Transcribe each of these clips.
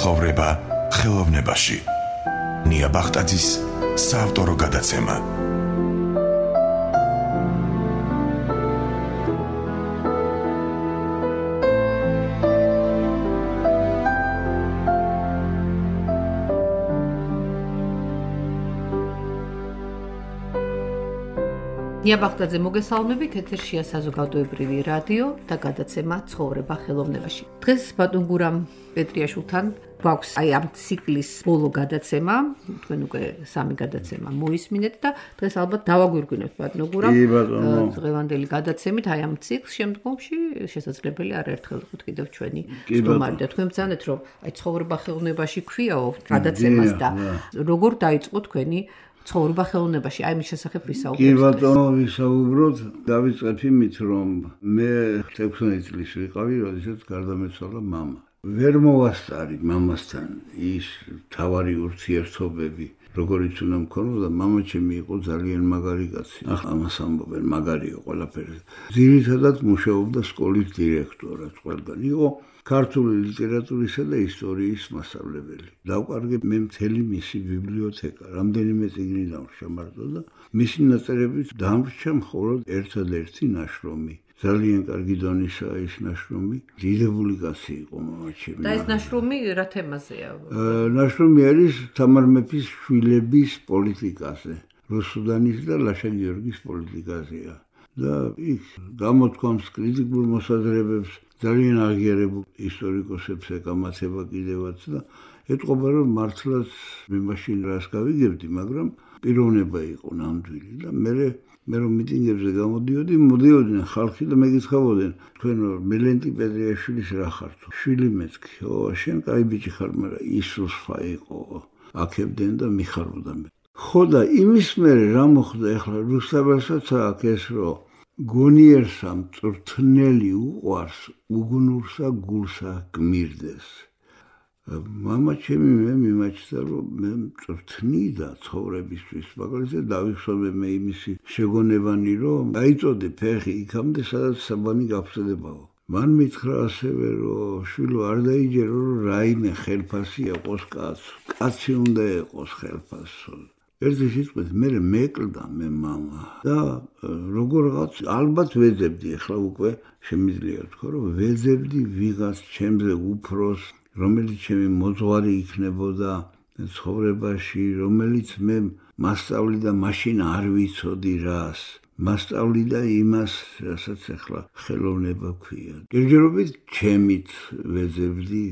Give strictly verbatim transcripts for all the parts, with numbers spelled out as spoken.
ცხოვრება ხელოვნებაში. ნია ბახტაძის საავტორო გადაცემა. ნია ბახტაძე მოგესალმებით, ეთერშია საზოგადოებრივი რადიო და გადაცემა ცხოვრება ხელოვნებაში. დღეს ბატონ გურამ პეტრიაშვილთან გვაქვს აი ამ ციკლის ბოლო გადაცემა, თქვენ უკვე სამი გადაცემა მოისმინეთ და დღეს ალბათ დავაგვირგვინებთ ბატონ გურამ დღევანდელი გადაცემით აი ამ ციკლს შემდგომში შესაძლებელი არაერთხელ ვიყოთ კიდევ ჩვენი სტუმარი და თქვენ ბრძანეთ რომ აი ცხოვრება ხელოვნებაში ქვიაო გადაცემას და როგორ დაიწყო თქვენი ცხოვრება ხელოვნებაში, აი მის შესახებ ვისაუბროთ. კი ბატონო, ვისაუბროთ, დავიწყებ იმით, რომ მე ექვსმეტ წლის ვიყავი, როდესაც გარდამეცვალა მამა. ვერ მოვასწარი მამასთან ის თავარი ურთიერთობები, როგორიც უნდა მქონოდა, მამა ჩემი იყო ძალიან მაგარი კაცი. ახლა ამას ამბობენ, მაგარია ყველაფერი. ძირითადად მუშაობდა სკოლის დირექტორად ყველგან. იყო ქართული ლიტერატურისა და ისტორიის მასწავლებელი. დავკარგე მე მთელი მისი ბიბლიოთეკა, რამდენიმე წიგნი დამრჩა მარტო და მისი ნაწერებით დამრჩა მხოლოდ ერთადერთი ნაშრომი. ძალიან კარგი დონისაა ის ნაშრომი. დიდებული კაცი იყო მამა ჩემი. და ეს ნაშრომი რა თემაზეა? ნაშრომი არის თამარ მეფის შვილების პოლიტიკაზე. რუსუდანის და ლაშა გიორგის პოლიტიკაზეა. და იქ გამოთქვამს კრიტიკულ მოსაზრებებს ძალიან აღიარებულ ისტორიკოსებს ეკამათება კიდევაც და ეტყობა რომ მართლაც მე მაშინ რას გავიგებდი, მაგრამ პიროვნება იყო ნამდვილი და მე მე რომ მიტინგებზე გამოდიოდი, მოდიოდნენ ხალხი და მეკითხავდნენ, თქვენ მელენტი პეტრიაშვილის რა ხართ? შვილი მეთქი, ო, შენ კაი ბიჭი ხარ, მაგრამ ისუსფა იყო, აქებდნენ და მიხარობდა მე. ხო და იმის მერე რა მოხდა ახლა რუსთაველსაც აქ ეს რომ გონიერსა მწვრთნელი უყვარს, უგუნურსა გულსა გმირდეს. მამა ჩემი მე მიმაჩნდა რომ მე მწვრთნიდა ცხოვრებისთვის, მაგალითად დავიხსოვე მე იმისი შეგონებანი რომ დაიწოდე ფეხი იქამდე სადაც საბანი გავხსენებაო. მან მითხრა ასევე რომ შვილო არ დაიჯერო რომ რაიმე ხელფასი იყოს კაც, კაცი უნდა იყოს ხელფასო. ერთი სიტყვით მე მეკლდა მე მამა და როგორღაც ალბათ ვეძებდი, ახლა უკვე შემიძლია თქვა რომ ვეძებდი ვიღაც ჩემზე უფროს, რომელიც ჩემი მოძღვარი იქნებოდა ცხოვრებაში, რომელიც მე მასწავლიდა მაშინ არ ვიცოდი რას, მასწავლიდა იმას, რასაც ახლა ხელოვნება ქვია. გერჯერობით ჩემით ვეძებდი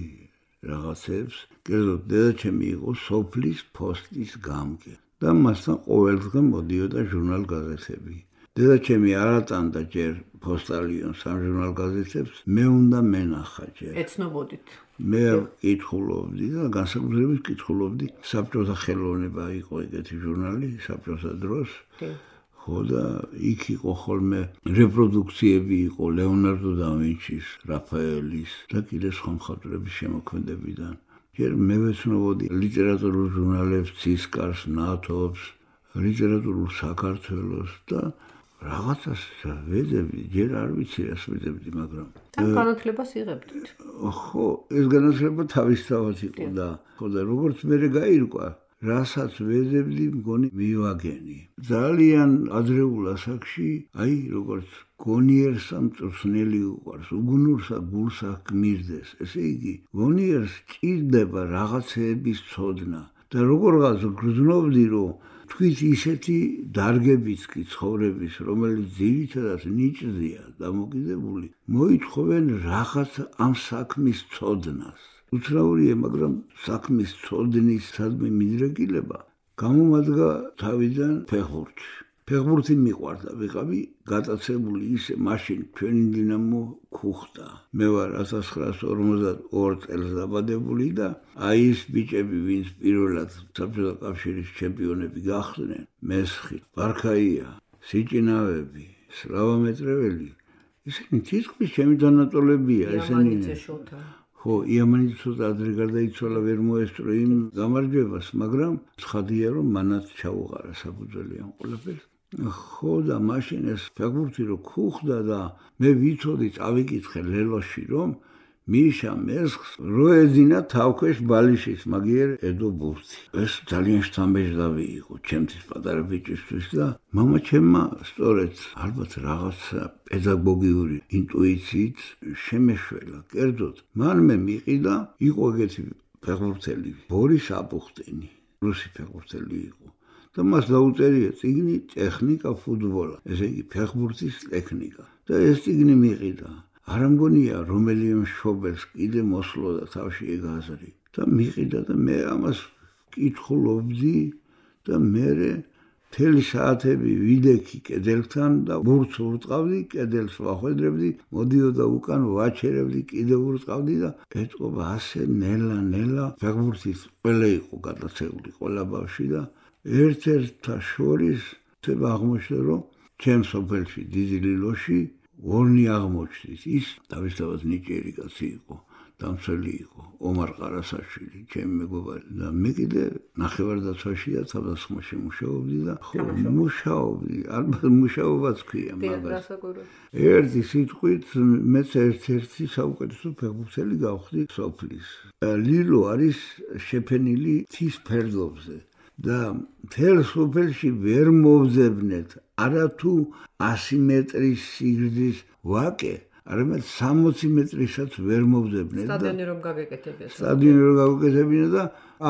რაღაცებს, კერძოდ დედაჩემი იყო სოფლის ფოსტის გამგე. და მასთან ყოველდღე მოდიოდა ჟურნალ-გაზეთები. დედაჩემი არატანდა ჯერ პოსტალიონს ამ ჟურნალ-გაზეთებს, მე უნდა მენახა ჯერ. ეცნობოდით. მე კითხულობდი და განსაკუთრებით კითხულობდი საბჭოთა ხელოვნება იყო ეგეთი ჟურნალი, საბჭოთა დროს. ხო და იქ იყო ხოლმე რეპროდუქციები იყო ლეონარდო და ვინჩის, რაფაელის და კიდე სხვა მხატვრების შემოქმედებიდან. ჯერ მე ვეცნობოდი ლიტერატურულ ჟურნალებს, ცისკარს, ნათობს, ლიტერატურულ საქართველოს და რაღაცას ვეძებდი, ჯერ არ ვიცი რას ვეძებდი, მაგრამ თან განათლებას იღებდით. ხო, ეს განათლება თავისთავად იყო და ხო და როგორც მე გაირკვა, რასაც ვეძებდი, მგონი მივაგენი. ძალიან ადრეულ ასაკში, აი როგორც გონიერსა მწვრთნელი უყვარს, უგუნურსა გულსა გმირდეს. ესე იგი, გონიერს ჭირდება რაღაცეების ცოდნა და როგორღაც გრძნობდი, რომ თქვით ისეთი დარგებიც კი ცხოვრების, რომელიც ძირითადად ნიჭზეა დამოკიდებული, მოითხოვენ რაღაც ამ საქმის ცოდნას. უცნაურია, მაგრამ საქმის ცოდნის სადმე მიდრეკილება გამომადგა თავიდან ფეხბურთში. ფეხბურთი მიყვარდა, ვიყავი გატაცებული ისე მაშინ ჩვენი დინამო ქუხტა. მე ვარ ათას ცხრაასი ორმოცდაორ წელს დაბადებული და აი ის ბიჭები, ვინც პირველად საბჭოთა კავშირის ჩემპიონები გახდნენ, მესხი, ბარქაია, სიჭინავები, სლავა მეტრეველი, ისინი თითქმის ჩემი დანატოლებია, ესენი. ხო, იამანი ცოტა ადრე გარდაიცვალა, ვერ მოესწრო იმ გამარჯვებას, მაგრამ ცხადია რომ მანაც ჩაუყარა საფუძველი ამ ყველაფერს. ხო და მაშინ ეს ფეხბურთი რო ქუხდა და მე ვიცოდი, წავიკითხე ლელოში რომ მიშა მესხს რო ეძინა თავქვეშ ბალიშის მაგიერ ედო ბურთი. ეს ძალიან შთამბეჭდავი იყო ჩემთვის პატარა ბიჭისთვის და მამა ჩემმა სწორედ ალბათ რაღაცა პედაგოგიური ინტუიციით შემეშველა. კერძოდ, მან მე მიყიდა, იყო ეგეთი ფეხბურთელი, ბორის აპუხტენი, რუსი ფეხბურთელი იყო. და მას დაუწერია წიგნი ტექნიკა ფუტბოლა, ესე იგი ფეხბურთის ტექნიკა. და ეს წიგნი მიყიდა. არ მგონია რომელიმე მშობელს კიდე მოსვლოდა თავში ეგ აზრი. და მიყიდა და მე ამას კითხულობდი და მე მთელი საათები ვიდექი კედელთან და ბურთს ურწყავდი, კედელს ვახვედრებდი, მოდიოდა უკან ვაჩერებდი, კიდევ ურწყავდი და ეთყობა ასე ნელა ნელა ფეხბურთის ყველა იყო გადაცეული ყველა ბავშვი და ერთ-ერთთა შორის ხდება აღმოჩნდა რომ ჩემ სოფელში დიდი ლილოში ორნი აღმოჩნდის ის თავისთავად ნიჭიერი კაცი იყო დამცველი იყო ომარ ყარასაშვილი ჩემი მეგობარი და მე კიდე ნახევარდაცვაში და თავდასხმაში მუშაობდი და ხო მუშაობდი ალბათ მუშაობაც ქვია მაგას ერთი სიტყვით მეც ერთ-ერთი საუკეთესო ფეხბურთელი გავხდი სოფლის ლილო არის შეფენილი მთის ფერდობზე და მთელ სოფელში ვერ მოვძებნეთ არათუ ასი მეტრის სიგრძის ვაკე არამედ სამოცი მეტრისაც ვერ მოვძებნეთ და სტადიონი რომ გაგეკეთებინა სტადიონი რომ გაგეკეთებინა და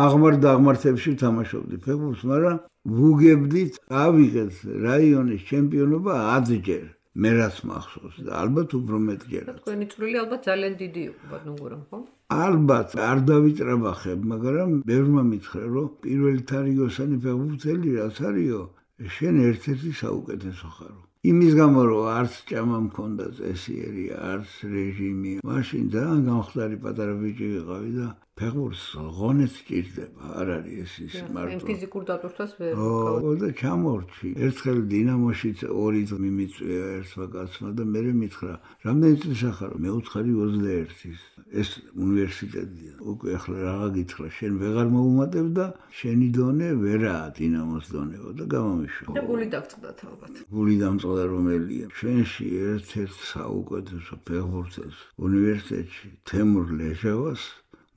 აღმარ დაღმართებში ვთამაშობდი ფეხბურთს მაგრამ ვუგებდით ავიღეთ რაიონის ჩემპიონობა ათჯერ მე რაც მახსოვს და ალბათ უფრო მეტჯერაც თქვენი წვლილი ალბათ ძალიან დიდი იყო ბატონგურამ ხო ალბათ არ დავიტრაბახებ მაგრამ ბევრმა მითხრა რომ პირველი თარიგოსანი ფეხბურთელი რაც არისო შენ ერთ-ერთი საუკეთესო ხარო იმის გამო რომ არც ჭამა მქონდა წესიერი არც რეჟიმი მაშინ ძალიან გამხდარი პატარა ბიჭი ვიყავი და ფეხბურთს ღონეს ჭირდება არ არის ეს ის მარტო ფიზიკურ დატვირთვას ვერ ო და ჩამორჩი ერთხელ დინამოშიც ორი მიმიწვია ერთმა კაცმა და მე მითხრა რამდენი წელია ხარო მე უთხარი ოცდაერთის ეს უნივერსიტეტია უკვე ახლა რაღა გითხრა შენ ვეღარ მოუმატებ და შენი დონე ვერაა დინამოს დონეო და გამომიშვა და გული დაგწყდათ ალბათ გული დამწყდა რომელია ჩვენში ერთ-ერთ საუკეთესო ფეხბურთელს უნივერსიტეტში თემურ ლეჟავას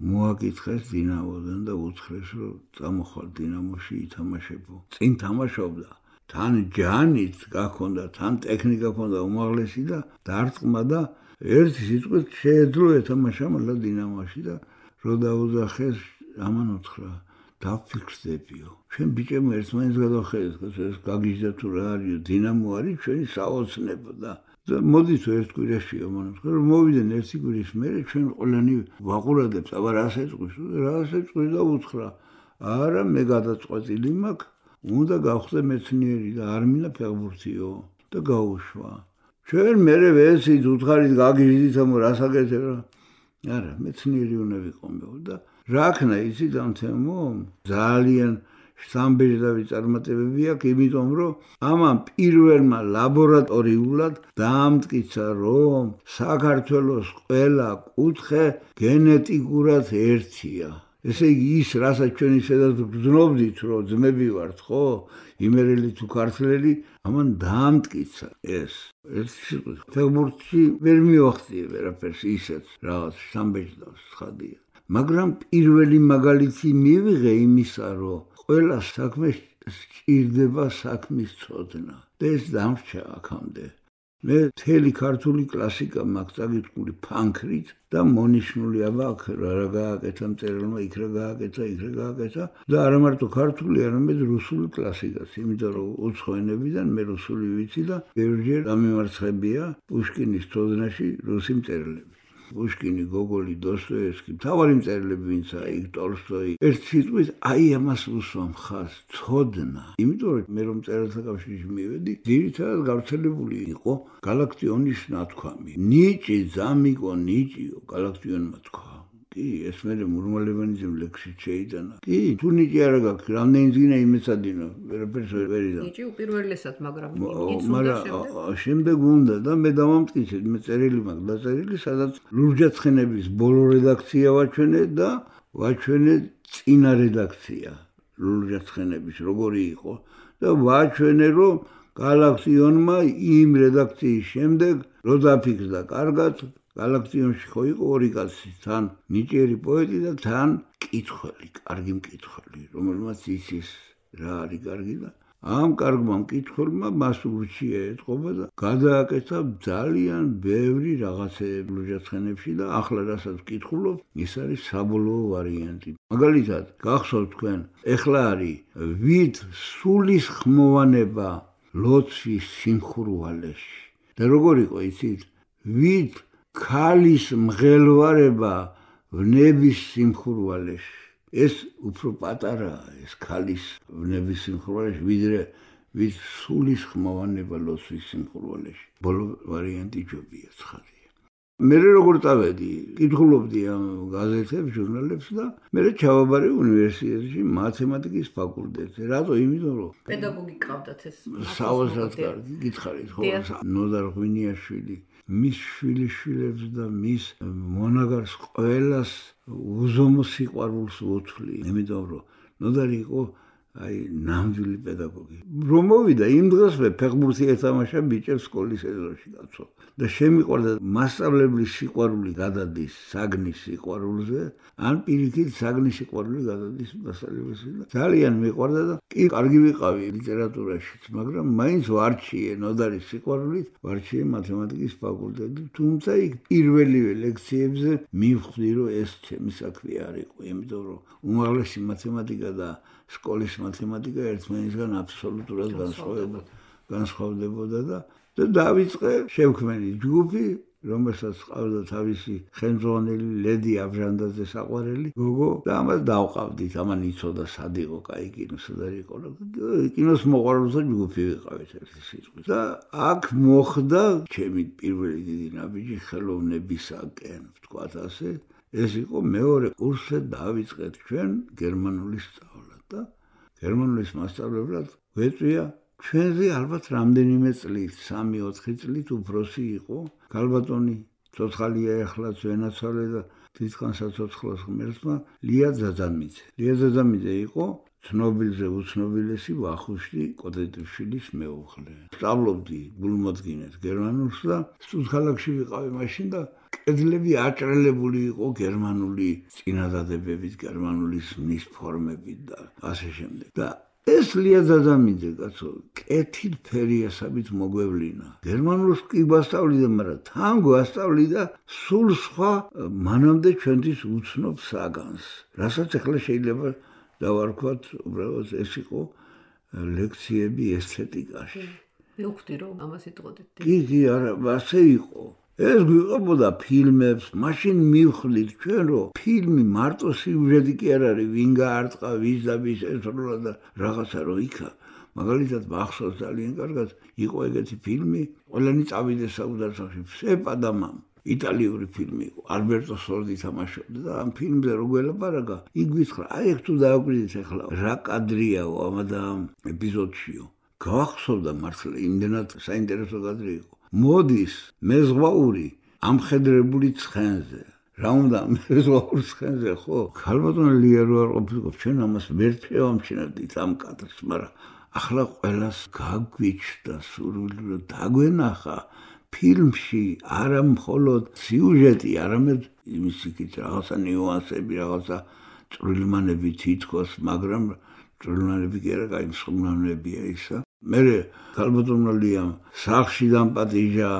მოაკითხეს დინამოდან და უთხრეს რომ წამოხვალ დინამოში ითამაშებო წინ თამაშობდა თან ჯანით გაქონდა თან ტექნიკა ქონდა უმაღლესი და დარტყმა და ერთი სიტყვით შეეძლო ეთამაშა მალე დინამოში და რო დაუძახეს ამან უთხრა დაფიქრდებიო ჩვენ ბიჭებმა ერთმანეთს გადავხედეთ ეს გაგიჟდა თუ რა არისო დინამო არის ჩვენი საოცნებო და და მოდით ერთ კვირაში ამონებს რომ მოვიდნენ ერთი კვირის მერე ჩვენ ყველანი ვაყურადებს აბა რას ეწყვის რას ეწყვის და უთხრა არა მე გადაწყვეტილი მაქვს უნდა გავხდე მეცნიერი და არ მინდა ფეხბურთიო და გაუშვა ჩვენ მერე ვეცით უთხარით გაგიჟდით ამ რას აკეთებ რა არა მეცნიერი უნდა ვიყომო და რა ქნა იცით ამ თემო ძალიან სამბეჭდავი წარმატებები აქვს იმიტომ რომ ამან პირველმა ლაბორატორიულად დაამტკიცა რომ საქართველოს ყველა კუთხე გენეტიკურად ერთია ესე იგი ის რასაც ჩვენ ისედაც გძნობდით რომ ძმები ვართ ხო იმერელი თუ ქართველი ამან დაამტკიცა ეს ერთი ფეხბურთში ვერ მივახციე ვერაფერს ისეთ რაღაც სამბეჭდავს ხადია მაგრამ პირველი მაგალითი მივიღე იმისა რომ ყველა საქმე სჭირდება საქმის ცოდნა და ეს დამრჩა აქამდე მე მთელი ქართული კლასიკა მაქვს წაგიტყული ფანქრით და მონიშნული აბა აქ რა გააკეთა მწერალმა იქ რა გააკეთა იქ რა გააკეთა და არა მარტო ქართული არამედ რუსული კლასიკაც იმიტომ რომ უცხო ენებიდან მე რუსული ვიცი და ბევრჯერ დამიმარცხებია პუშკინის ცოდნაში რუსი მწერლები პუშკინი, გოგოლი, დოსტოევსკი, მთავარი მწერლები ვინცა იქ ტოლსტოი. ერთ სიტყვით აი ამას უსვამ ხაზს ცოდნა. იმიტომ რომ მე რომ მწერალთა კავშირში მივედი, ძირითადად გავრცელებული იყო გალაქტიონის ნათქვამი. ნიჭი ზამიკო ნიჭიო გალაქტიონმა თქვა. კი, ეს მე მურმალებანიძემ ლექსით შეიტანა. კი, თუ ნიჭი არ გაქვს, რამდენი ძინა იმეცადინო, ვერაფერს ვერ იდა. ნიჭი უპირველესად, მაგრამ ნიჭიც უნდა შემდეგ. შემდეგ უნდა და მე დავამტკიცე, მე წერილი მაქვს დაწერილი, სადაც ლურჯაცხენების ბოლო რედაქცია ვაჩვენე და ვაჩვენე წინა რედაქცია ლურჯაცხენების როგორი იყო და ვაჩვენე რომ გალაქტიონმა იმ რედაქციის შემდეგ რო დაფიქრდა კარგად გალაქტიონში ხო იყო ორი კაცი, თან ნიჭიერი პოეტი და თან მკითხველი, კარგი მკითხველი, რომელმაც იცის რა არის კარგი და ამ კარგმა მკითხველმა მას ურჩია ეთყობა და გადააკეთა ძალიან ბევრი რაღაცეები ლუჟაცხენებში და ახლა რასაც ვკითხულობ, ის არის საბოლოო ვარიანტი. მაგალითად, გახსოვთ თქვენ, ეხლა არის ვით სულის ხმოვანება ლოცვის სიმხურვალეში. და როგორ იყო იცით? ვით ქალის მღელვარება ვნების სიმხურვალეში. ეს უფრო პატარაა, ეს ქალის ვნების სიმხურვალეში, ვიდრე ვით სულის ხმოვანება ლოცვის სიმხურვალეში. ბოლო ვარიანტი ჯობია ცხადია. მე როგორ წავედი, კითხულობდი ამ გაზეთებს, ჟურნალებს და მე ჩავაბარე უნივერსიტეტში მათემატიკის ფაკულტეტზე. რატო? იმიტომ რომ პედაგოგი ყავდათ ეს. საოცრად კარგი, გითხარით ხო? ნოდარ ღვინიაშვილი მის შვილიშვილებს და მის მონაგარს ყველას უზომო სიყვარულს უთვლი. იმიტომ რომ ნოდარი იყო აი ნამდვილი პედაგოგი. რომ მოვიდა იმ დღესვე ფეხბურთი ეთამაშა ბიჭებს სკოლის ეზოში კაცო. და შემიყვარდა მასწავლებლის სიყვარული გადადის საგნის სიყვარულზე, ან პირიქით საგნის სიყვარული გადადის მასწავლებელზე. ძალიან მიყვარდა და კი კარგი ვიყავი ლიტერატურაშიც, მაგრამ მაინც ვარჩიე ნოდარის სიყვარულით, ვარჩიე მათემატიკის ფაკულტეტი, თუმცა იქ პირველივე ლექციებზე მივხვდი, რომ ეს ჩემი საქმე არ იყო, იმიტომ რომ უმაღლესი მათემატიკა და სკოლის მათემატიკა ერთმანეთისგან აბსოლუტურად განსხვავდებოდა და და დავიწყე შევქმენი ჯგუფი, რომელსაც ყავდა თავისი ხელმძღვანელი ლედი აბჟანდაძე საყვარელი გოგო და ამას დავყავდით. ამან იცოდა სად იყო კაი კინო, სად არ იყო. კინოს მოყვარულთა ჯგუფი ვიყავით ერთი სიტყვით. და აქ მოხდა ჩემი პირველი დიდი ნაბიჯი ხელოვნებისაკენ, ვთქვათ ასე. ეს იყო მეორე კურსზე დავიწყეთ ჩვენ გერმანული სწავლა და გერმანულის მასწავლებლად ვეწვია ჩვენზე ალბათ რამდენიმე წლით, სამი ოთხი წლით უფროსი იყო გალბატონი, ცოცხალია ეხლაც ვენაცვალე და თვითონ საცოცხლოს ღმერთმა ლია ძაძამიძე. ლია ძაძამიძე იყო ცნობილზე უცნობილესი ვახუშტი კოტეტიშვილის მეუღლე. სწავლობდი გულმოდგინედ გერმანულს და სტუდქალაქში ვიყავი მაშინ და კედლები აჭრელებული იყო გერმანული წინადადებებით, გერმანული ზმნის ფორმებით და ასე შემდეგ. და ეს ლია ძაძამიძე კაცო, კეთილ ფერიასაბით მოგვევლინა. გერმანულს კი გვასწავლიდა, მაგრამ თან გვასწავლიდა სულ სხვა მანამდე ჩვენთვის უცნობ საგანს. რასაც ახლა შეიძლება დავარქვათ, უბრალოდ ეს იყო ლექციები ესთეტიკაში. მივხვდი რომ ამას იტყოდით. კი, კი, არა, ასე იყო. ეს გვიყვებოდა ფილმებს, მაშინ მივხვდით ჩვენ, რომ ფილმი მარტო სიუჟეტი კი არ არის, ვინ გაარტყა, ვის და ვის ესროლა და რაღაცა რო იქა. მაგალითად, მახსოვს ძალიან კარგად, იყო ეგეთი ფილმი, ყველანი წავიდეს საუდარსახში, ფსეპადამამ. იტალიური ფილმი იყო, ალბერტო სორდი თამაშობდა და ამ ფილმზე რო გველაპარაკა, იქ გითხრა, აი ეგ თუ დააკვირდით ახლა, რა კადრიაო ამადა ეპიზოდშიო. გავახსოვდა მართლა, იმდენად საინტერესო კადრი იყო. მოდის მეზღვაური ამხედრებული ცხენზე. რა უნდა მეზღვაურ ცხენზე, ხო? ქალბატონი ლია რო არ ყოფილიყო, ჩვენ ამას ვერ შევამჩნევდით ამ კადრს, მაგრამ ახლა ყველას გაგვიჩნდა სურვილი რომ დაგვენახა ფილმში არა მხოლოდ სიუჟეტი, არამედ იმის იქით რაღაცა ნიუანსები, რაღაცა წვრილმანები თითქოს, მაგრამ წვრილმანები კი არა, კაი მსხმნანებია ისა. მერე ქალბატონმა ლიამ სახლში დამპატიჟა,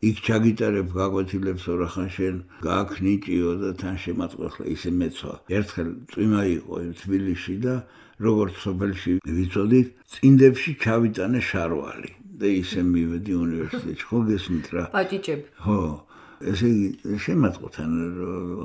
იქ ჩაგიტარებ გაკვეთილებს ორახან შენ გააქნიჭიო და თან შემაწყვეხლა ისე მეცვა. ერთხელ წვიმა იყო თბილისში და როგორც სოფელში ვიცოდით, წინდებში ჩავიტანე შარვალი და ისე მივედი უნივერსიტეტში. ხო გესმით რა? პაჭიჭები. ხო. ესე იგი შემაწყვეთან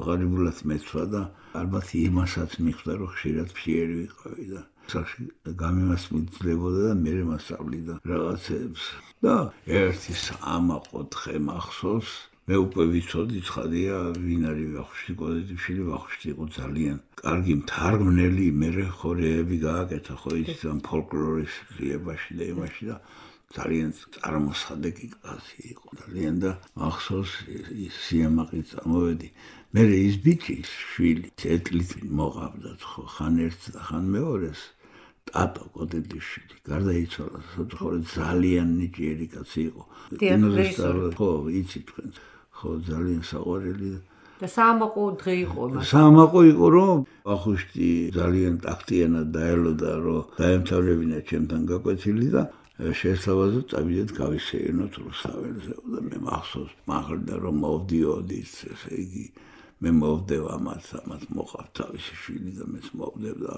ღარიბულად მეცვა და ალბათ იმასაც მიხვდა რომ ხშირად ფიერი ვიყავი და სახში გამიმასწვლებოდა და მე მასწავლიდა რაღაცებს. და ერთი სამაყო დღე მახსოვს, მე უკვე ვიცოდი ცხადია ვინ არის ვახუშტი კოტეტიშვილი. ვახუშტი იყო ძალიან კარგი მთარგმნელი, მერე ხორეები გააკეთა ხო ის ფოლკლორის ძიებაში და იმაში და ძალიან წარმოსადეგი კაცი იყო ძალიან და მახსოვს სიამაყით წამოვედი. მერე ის ბიჭი შვილი წეტლით მოყავდათ ხო ხან ერთს და ხან მეორეს ტატო კოტეტიშვილი. გარდაიცვალა სოცხორი ძალიან ნიჭიერი კაცი იყო. კინოზე სწავლა ხო იცით თქვენ. ხო ძალიან საყვარელი და საამაყო დღე იყო მას. საამაყო იყო რომ ვახუშტი ძალიან ტაქტიანად დაელოდა რომ დაემთავრებინა ჩემთან გაკვეთილი და შესაძლოა წავიდეთ გავისეირნოთ რუსთაველზე და მე მახსოვს მაღლდა რომ მოვდიოდით ესე იგი მე მოვდევ ამას ამას მოყავთ თავისი შვილი და მეც მოვდევ და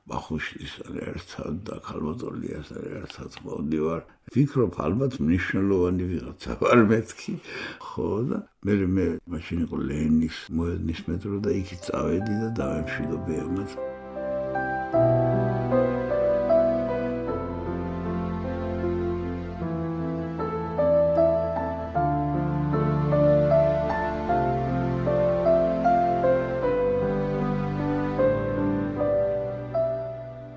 ვახუშტის ერთად და ქალბატონიას ერთად მოვდივარ ვფიქრობ ალბათ მნიშვნელოვანი ვიღაცა ვარ მეთქი ხო და მე მე მაშინ იყო ლენის მოედნის მეტრო და იქით წავედი და დავემშვიდობე ამას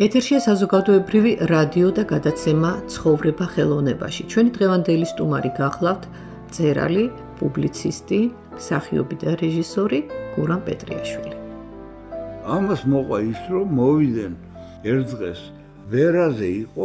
ეთერშია საზოგადოებრივი რადიო და გადაცემა ცხოვრება ხელოვნებაში. ჩვენი დღევანდელი სტუმარი გახლავთ მწერალი, პუბლიცისტი, მსახიობი და რეჟისორი გურამ პეტრიაშვილი. ამას მოყვა ის რომ მოვიდნენ ერთ დღეს ვერაზე იყო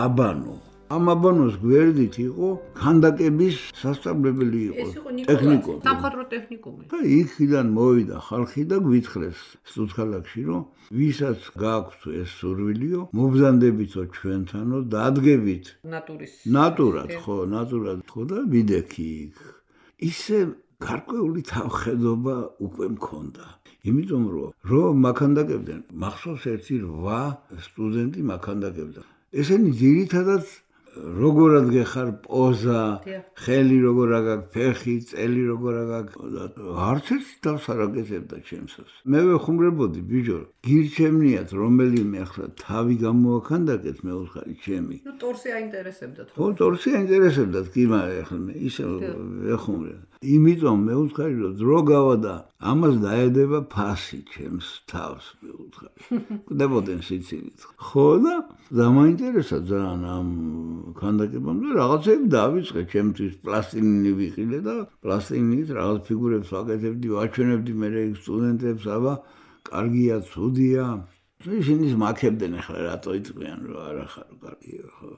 აბანო. ამ აბანოს გვერდით იყო ქანდაკების სასწავლებელი იყო ტექნიკუმი. სამხატვრო ტექნიკუმი. და იქიდან მოვიდა ხალხი და გვითხრეს სტუდქალაქში რომ ვისაც გააქვთ ეს სურვილიო, მობზანდებითო ჩვენთანო, დადგებით ნატურის. ნატურად, ხო, ნატურად, ხო და ვიდექი იქ. ისე გარკვეული თავხედობა უკვე მქონდა. იმიტომ რომ რომ მაქანდაკებდნენ, მახსოვს ერთი რვა სტუდენტი მაქანდაკებდა. ესენი ძირითადად როგორად გეხარ პოზა, ხელი როგორ აგაკ, ფეხი, წელი როგორ აგაკ, არც ერთი თავს არ აკეთებდა ჩემსას. მე ვეხუმრებოდი ბიჭო, გირჩევნიათ რომელიმე ახლა თავი გამოაქანდაკეთ მეუთხარი ჩემი. ნუ ტორსი აინტერესებდათ. ხო, ტორსი აინტერესებდათ, კი მაგრამ ახლა მე ისე ვეხუმრე. იმიტომ მეუთხარი რომ დრო გავა და ამას დაედება ფასი ჩემს თავს მეუთხარი. კვდებოდნენ სიცილით. ხო და დამაინტერესა ძალიან ამ ქანდაკებამ და რაღაცები დავიწყე ჩემთვის პლასტილინი ვიყიდე და პლასტილინით რაღაც ფიგურებს ვაკეთებდი, ვაჩვენებდი მე იქ სტუდენტებს, აბა კარგია, ცუდია. ისინი მაქებდნენ ახლა რატო იწყიან რომ არა ხარ კარგია ხო.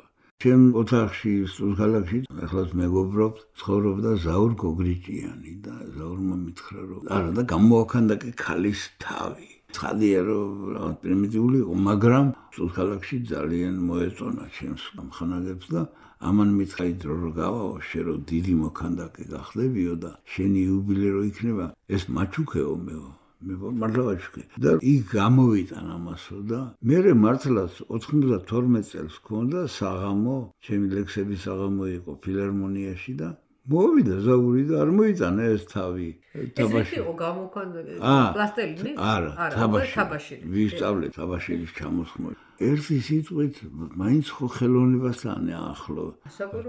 ჩემ ოთახში სტუდქალაქში ახლაც მეგობრობ ცხოვრობდა ზაურ გოგრიჭიანი და ზაურმა მითხრა რომ არა და გამოაქანდაკე ქალის თავი. ცხადია რომ რაღაც პრიმიტიული იყო, მაგრამ სტუდქალაქში ძალიან მოეწონა ჩემს ამხანაგებს და ამან მითხრა დრო რო გავაო, შე რომ დიდი მოქანდაკე გახდებიო და შენი იუბილე რო იქნება, ეს მაჩუქეო მეო. მე მართლაც და იქ გამოვიტან ამასო და მე მართლაც ოთხმოცდათორმეტ წელს მქონდა საღამო, ჩემი ლექსების საღამო იყო ფილარმონიაში და მოვიდა ზაური და არ მოიტანა ეს თავი. თაბაში იყო გამოქანდაკე პლასტელინი? არა, თაბაში. ვისწავლე თაბაშილის ჩამოსხმო. ერთი სიტყვით მაინც ხო ხელოვნებასთან ახლო.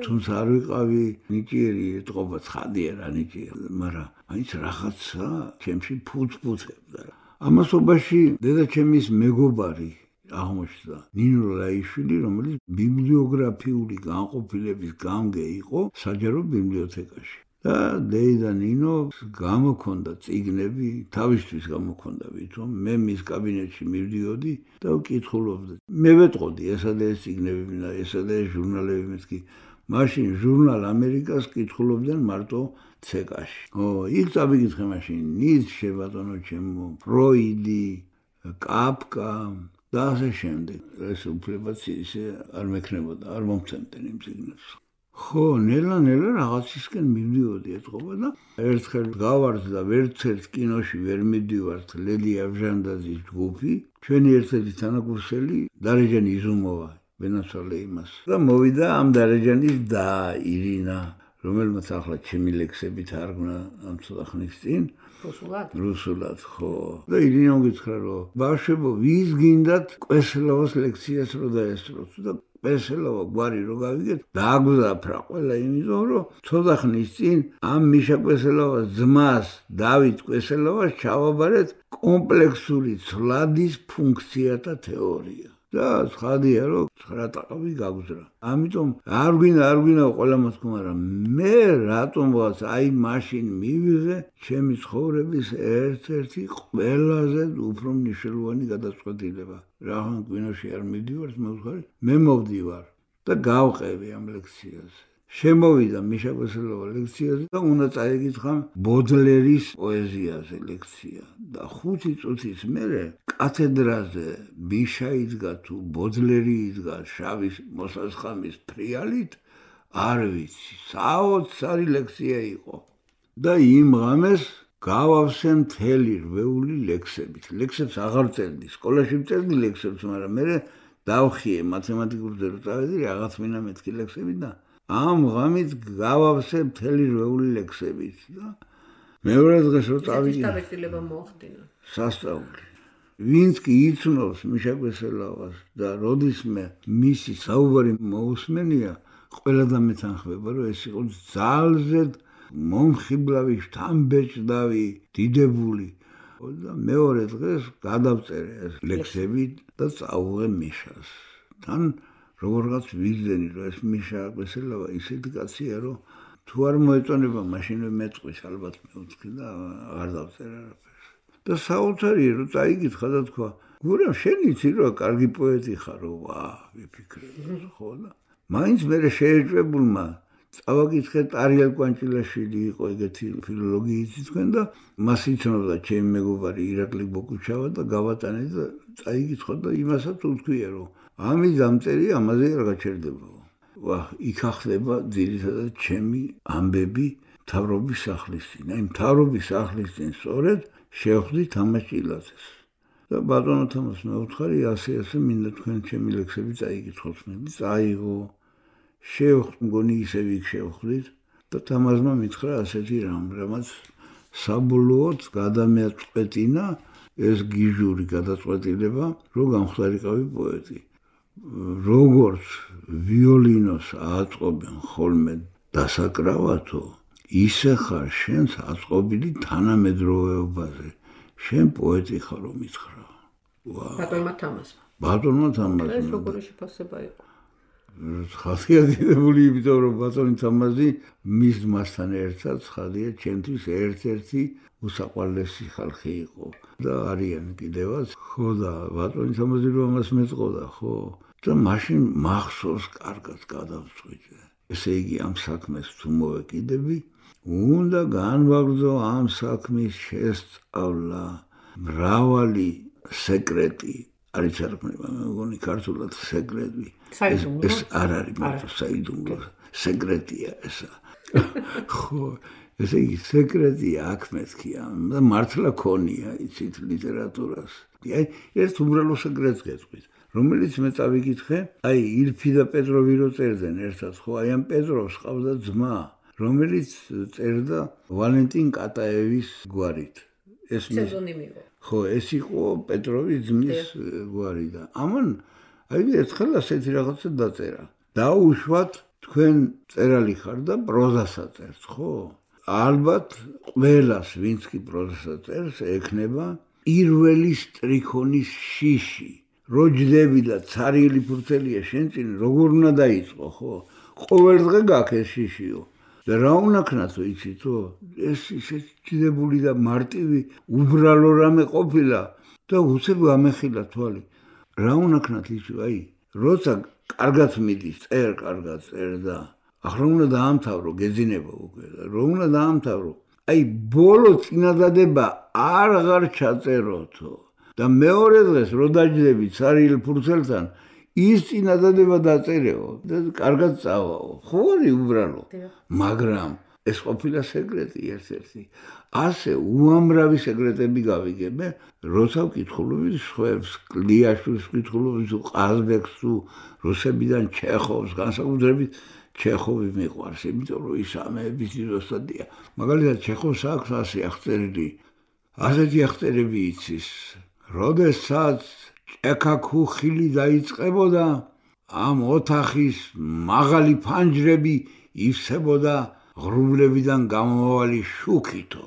თუმცა არ ვიყავი ნიჭიერი ეთყობა ცხადია რა ნიჭიერი, მაგრამ მაინც რაღაცა ჩემში ფუძფუძებდა. ამასობაში დედაჩემის მეგობარი აღმოჩნდა ნინო რაიშვილი, რომელიც ბიბლიოგრაფიული განყოფილების გამგე იყო საჯარო ბიბლიოთეკაში. და დეიდა ნინო გამოქონდა წიგნები, თავისთვის გამოქონდა ვითომ, მე მის კაბინეტში მივდიოდი და ვკითხულობდი. მე ვეტყოდი ესა და ეს წიგნები და ესა და ეს ჟურნალები მეთქი. მაშინ ჟურნალ ამერიკას კითხულობდნენ მარტო ცეკაში. ო, იქ წავიკითხე მაშინ ნიცშე ბატონო ჩემო, ფროიდი, კაფკა და ასე შემდეგ. ეს უფლებაც ისე არ მექნებოდა, არ მომცემდნენ იმ წიგნებს. ხო, ნელა-ნელა რაღაცისკენ მივდიოდი ეთყობა და ერთხელ გავართ და ვერცერთ კინოში ვერ მივდივართ ლელი ავჟანდაძის ჯგუფი, ჩვენი ერთ-ერთი თანაკურსელი დარეჯანი იზუმოვა, ვენაცვალე იმას. და მოვიდა ამ დარეჯანის და ირინა, რომელმაც ახლა ჩემი ლექსები თარგმნა ამ ცოტა ხნის წინ. რუსულად? რუსულად, ხო. და ირინამ გითხრა რომ ბავშვებო, ვის გინდათ კვესელოვას ლექციას რო დაესწროთ და კვესელოვა გვარი რო გავიგეთ, დააგვზაფრა ყველა იმიტომ რომ ცოტა ხნის წინ ამ მიშა კვესელოვას ძმას დავით კვესელოვას ჩავაბარეთ კომპლექსური ცვლადის ფუნქციათა თეორია. და ცხადია რომ ცხრა ტაყავი გაგზრა. ამიტომ არ გვინდა არ გვინდა ყველა მოთქმა, მაგრამ მე რატომღაც აი მაშინ მივიღე ჩემი ცხოვრების ერთ-ერთი ყველაზე უფრო მნიშვნელოვანი გადაწყვეტილება. რაღაცა კინოში არ მივდივარ, მე ვხარ, მე მოვდივარ და გავყევი ამ ლექციას. შემოვიდა მიშა კვესელოვა ლექციაზე და უნდა წაეკითხა ბოდლერის პოეზიაზე ლექცია და ხუთი წუთის მერე კათედრაზე მიშა იდგა თუ ბოდლერი იდგა შავი მოსასხამის ფრიალით არ ვიცი საოცარი ლექცია იყო და იმ ღამეს გავავსე მთელი რვეული ლექსებით ლექსებს აღარ წერდი სკოლაში წერდი ლექსებს მაგრამ მე დავხიე მათემატიკურ ძრო წავედი რაღაც მინა მეთქი ლექსები და ამ ღამით გავავსე მთელი რვეული ლექსებით და მეორე დღეს რო წავიდი შეტაბილება მოახდინა სასწაული ვინც კი იცნობს მიშა კვესელოვას და როდისმე მისი საუბარი მოусმენია ყველა დამეთანხმება რომ ეს იყო ძალზე მომხიბლავი შთამბეჭდავი დიდებული და მეორე დღეს გადავწერე ეს ლექსები და წავუღე მიშას თან როგორღაც ვიზდენი რომ ეს მიშა კვესელოვა ისეთი კაცია რომ თუ არ მოეწონება მაშინვე მეწყვის ალბათ მეუთხი და აღარ დავწერე არაფერს და საოცარია რომ წაიკითხა და თქვა გურამ შენ იცი რომ კარგი პოეტი ხარო ვა ვიფიქრე ხო და მაინც მე შეეჭვებულმა წავაკითხე ტარიელ კვანჭილაშვილი იყო ეგეთი ფილოლოგიითი თქვენ და მას იცნობდა ჩემი მეგობარი ირაკლი ბოკუჩავა და გავატანე და წაიკითხა და იმასაც უთქვია რომ ამის დამწერი ამაზე არ გაჩერდებაო ვა იქ ახდება ძირითადად ჩემი ამბები მთავრობის სახლის წინ აი მთავრობის სახლის წინ სწორედ შევხვდი თამაზ ჭილაძეს და ბატონო თამაზ მე ვუთხარი ასე ასე მინდა თქვენ ჩემი ლექსები წაიკითხოთ მე წაიღო შევხვდი მგონი ისევ იქ შევხვდით და თამაზმა მითხრა ასეთი რამ რამაც საბოლოოდ გადამეწყვეტინა ეს გიჟური გადაწყვეტილება რომ გამხდარიყავი პოეტი როგორც ვიოლინოს აწყობენ ხოლმე დასაკრავათო ისე ხარ შენს აწყობილი თანამედროვეობაზე შენ პოეტი ხარ რომ მითხრა ბატონმა თამაზმა ბატონმა თამაზმა ეს როგორი შეფასება იყო ხასიათდებული იმიტომ რომ ბატონი თამაზი მის მასთან ერთად ხადია ჩემთვის ერთ-ერთი უსაყვარლესი ხალხი იყო და არიან კიდევაც ხო და ბატონი თამაზი რომ ამას მეწყოდა ხო და მაშინ მახსოვს კარგად გადავწყვიტე ესე იგი ამ საქმეს თუ მოვეკიდები უნდა განვაგრძო ამ საქმის შესწავლა მრავალი სეკრეტი არის არქმნება მე მგონი ქართულად სეკრეტი ეს არ არის მარტო საიდუმლო სეკრეტია ესა ხო ესე იგი სეკრეტია აქ მეთქია და მართლა ქონია იცით ლიტერატურას აი ერთ უმრავლო სეკრეტს გეტყვით რომელიც მე წავიკითხე აი ილფი და პეტროვი რო წერდნენ ერთად ხო აი ამ პეტროვს ყავდა ძმა რომელიც წერდა ვალენტინ კატაევის გვარით ეს ფსევდონიმი იყო ხო ეს იყო პეტროვის ძმის გვარი და ამან აი ერთხელ ასეთი რაღაცა დაწერა დაუშვათ თქვენ წერალი ხარ და პროზასაც წერს ხო ალბათ ყველას ვინც კი პროზასაც წერს ექნება პირველი სტრიქონის შიში როჯდები და ცარიელი ფურცელია შენ წინ როგორ უნდა დაიწყო ხო ყოველ დღე გაქეს შიშიო და რა უნაქნათო იცითო ეს ისე ჭიდებული და მარტივი უბრალო რამე ყოფილა და უცებ გამეხილა თვალი რა უნაქნათ იცი აი როცა კარგად მიდის წერ კარგად წერ და ახლა უნდა დაამთავრო გეძინება უკვე და რო უნდა დაამთავრო აი ბოლო წინადადება აღარ ჩაწეროთო და მეორე დღეს რო დაჯდები ცარიელ ფურცელთან ის წინადადება დაწერეო და კარგად წავაო ხო არის უბრალო მაგრამ ეს ყოფილა სეკრეტი ერთ-ერთი ასე უამრავი სეკრეტები გავიგებე როცა ვკითხულობდი სხვებს კლიაშვილს ვკითხულობდი თუ ყაზბეგს თუ რუსებიდან ჩეხოვს განსაკუთრებით ჩეხოვი მიყვარს იმიტომ რომ ის ამების ძიროსადია მაგალითად ჩეხოვს აქვს ასე აღწერილი ასეთი აღწერები იცის როდესაც ჭექაქუხილი დაიწყებოდა ამ ოთახის მაღალი ფანჯრები ივსებოდა ღრუბლებიდან გამომავალი შუქითო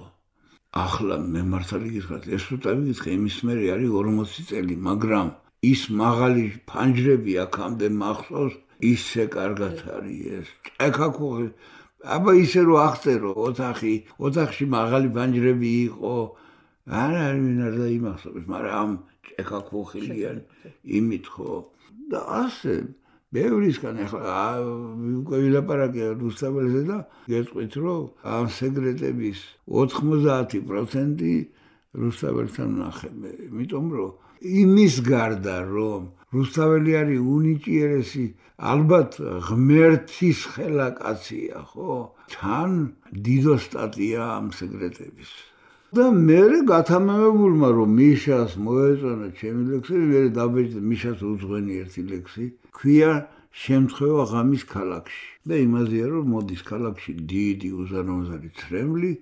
ახლა მე მართალი გითხრათ ეს რო წავიკითხე იმის მერე არის ორმოცი წელი მაგრამ ის მაღალი ფანჯრები აქამდე მახსოვს ისე კარგად არის ეს ჭექაქუხი აბა ისე რო აღწერო ოთახი ოთახში მაღალი ფანჯრები იყო არ არის ვინ არ დაიმახსოვს მაგრამ ამ ჭექაქუხილიან იმით ხო და ასე ბევრისგან ახლა უკვე ვილაპარაკე რუსთაველზე და გეტყვით რომ ამ სეგრეტების ოთხმოცდაათი პროცენტი რუსთაველთან ნახება, იმიტომ რომ იმის გარდა რომ რუსთაველი არის უნიჭიერესი ალბათ ღმერთის ხელა კაცია, ხო? თან დიდო სტატია ამ სეგრეტების. და მე გათამამებულმა რომ მიშას მოეწონა ჩემი ლექსები, მე დაბეჭდი მიშას უძღვენი ერთი ლექსი, ქვია შემთხვევა ღამის ქალაქში. და იმაზეა რომ მოდის ქალაქში დიდი უზარმაზარი ცრემლი,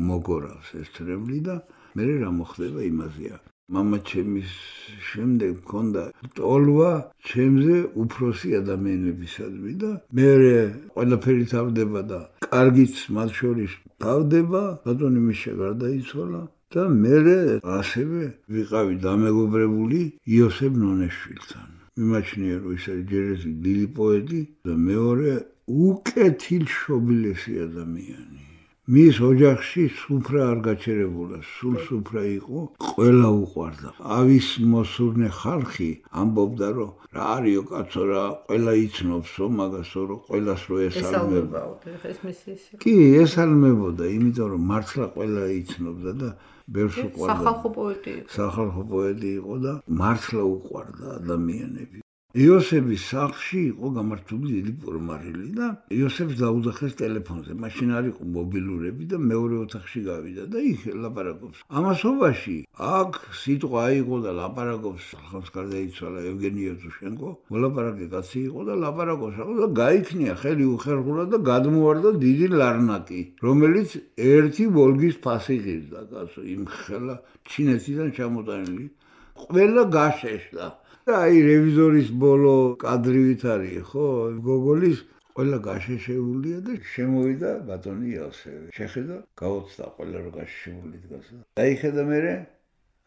მოგორავს ეს ცრემლი და მე რა მოხდება იმაზეა. მამა ჩემის შემდეგ მქონდა ტოლვა ჩემზე უფროსი ადამიანებისადმი და მე ყველაფერი თავდება და კარგიც მათ შორის თავდება, ბატონი მიშა გარდაიცვალა და მე ასევე ვიყავი დამეგობრებული იოსებ ნონეშვილთან. მიმაჩნია რომ ის არის ჯერესი დიდი პოეტი და მეორე უკეთილშობილესი ადამიანი. მის ოჯახში სუფრა არ გაჩერებულა, სულ სუფრა იყო, ყველა უყვარდა. ავის მოსურნე ხალხი ამბობდა რომ რა არისო კაცო რა, ყველა იცნობსო მაგასო რომ ყველას რო ესალმება. კი, ესალმებოდა, იმიტომ რომ მართლა ყველა იცნობდა და ბევრს უყვარდა. სახალხო პოეტი იყო. სახალხო პოეტი იყო და მართლა უყვარდა ადამიანები. იოსების სახლში იყო გამართული დიდი პორმარილი და იოსებს დაუძახეს ტელეფონზე. მაშინ არ იყო მობილურები და მეორე ოთახში გავიდა და იქ ლაპარაკობს. ამასობაში აქ სიტყვა იყო და ლაპარაკობს, ხალხს გარდაიცვალა ევგენი ევტუშენკო. მოლაპარაკე კაცი იყო და ლაპარაკობს და გაიქნია ხელი უხერხულა და გადმოვარდა დიდი ლარნაკი, რომელიც ერთი ვოლგის ფასი ღირდა კაცო, იმ ხელა ჩინეთიდან ჩამოტანილი. ყველა გაშეშდა. აი რევიზორის ბოლო კადრივით არის, ხო? გოგოლის ყველა გაშეშებულია და შემოვიდა ბატონი იოსები. შეხედა, გაოცდა ყველა რო გაშეშებული დგას. დაიხედა მერე,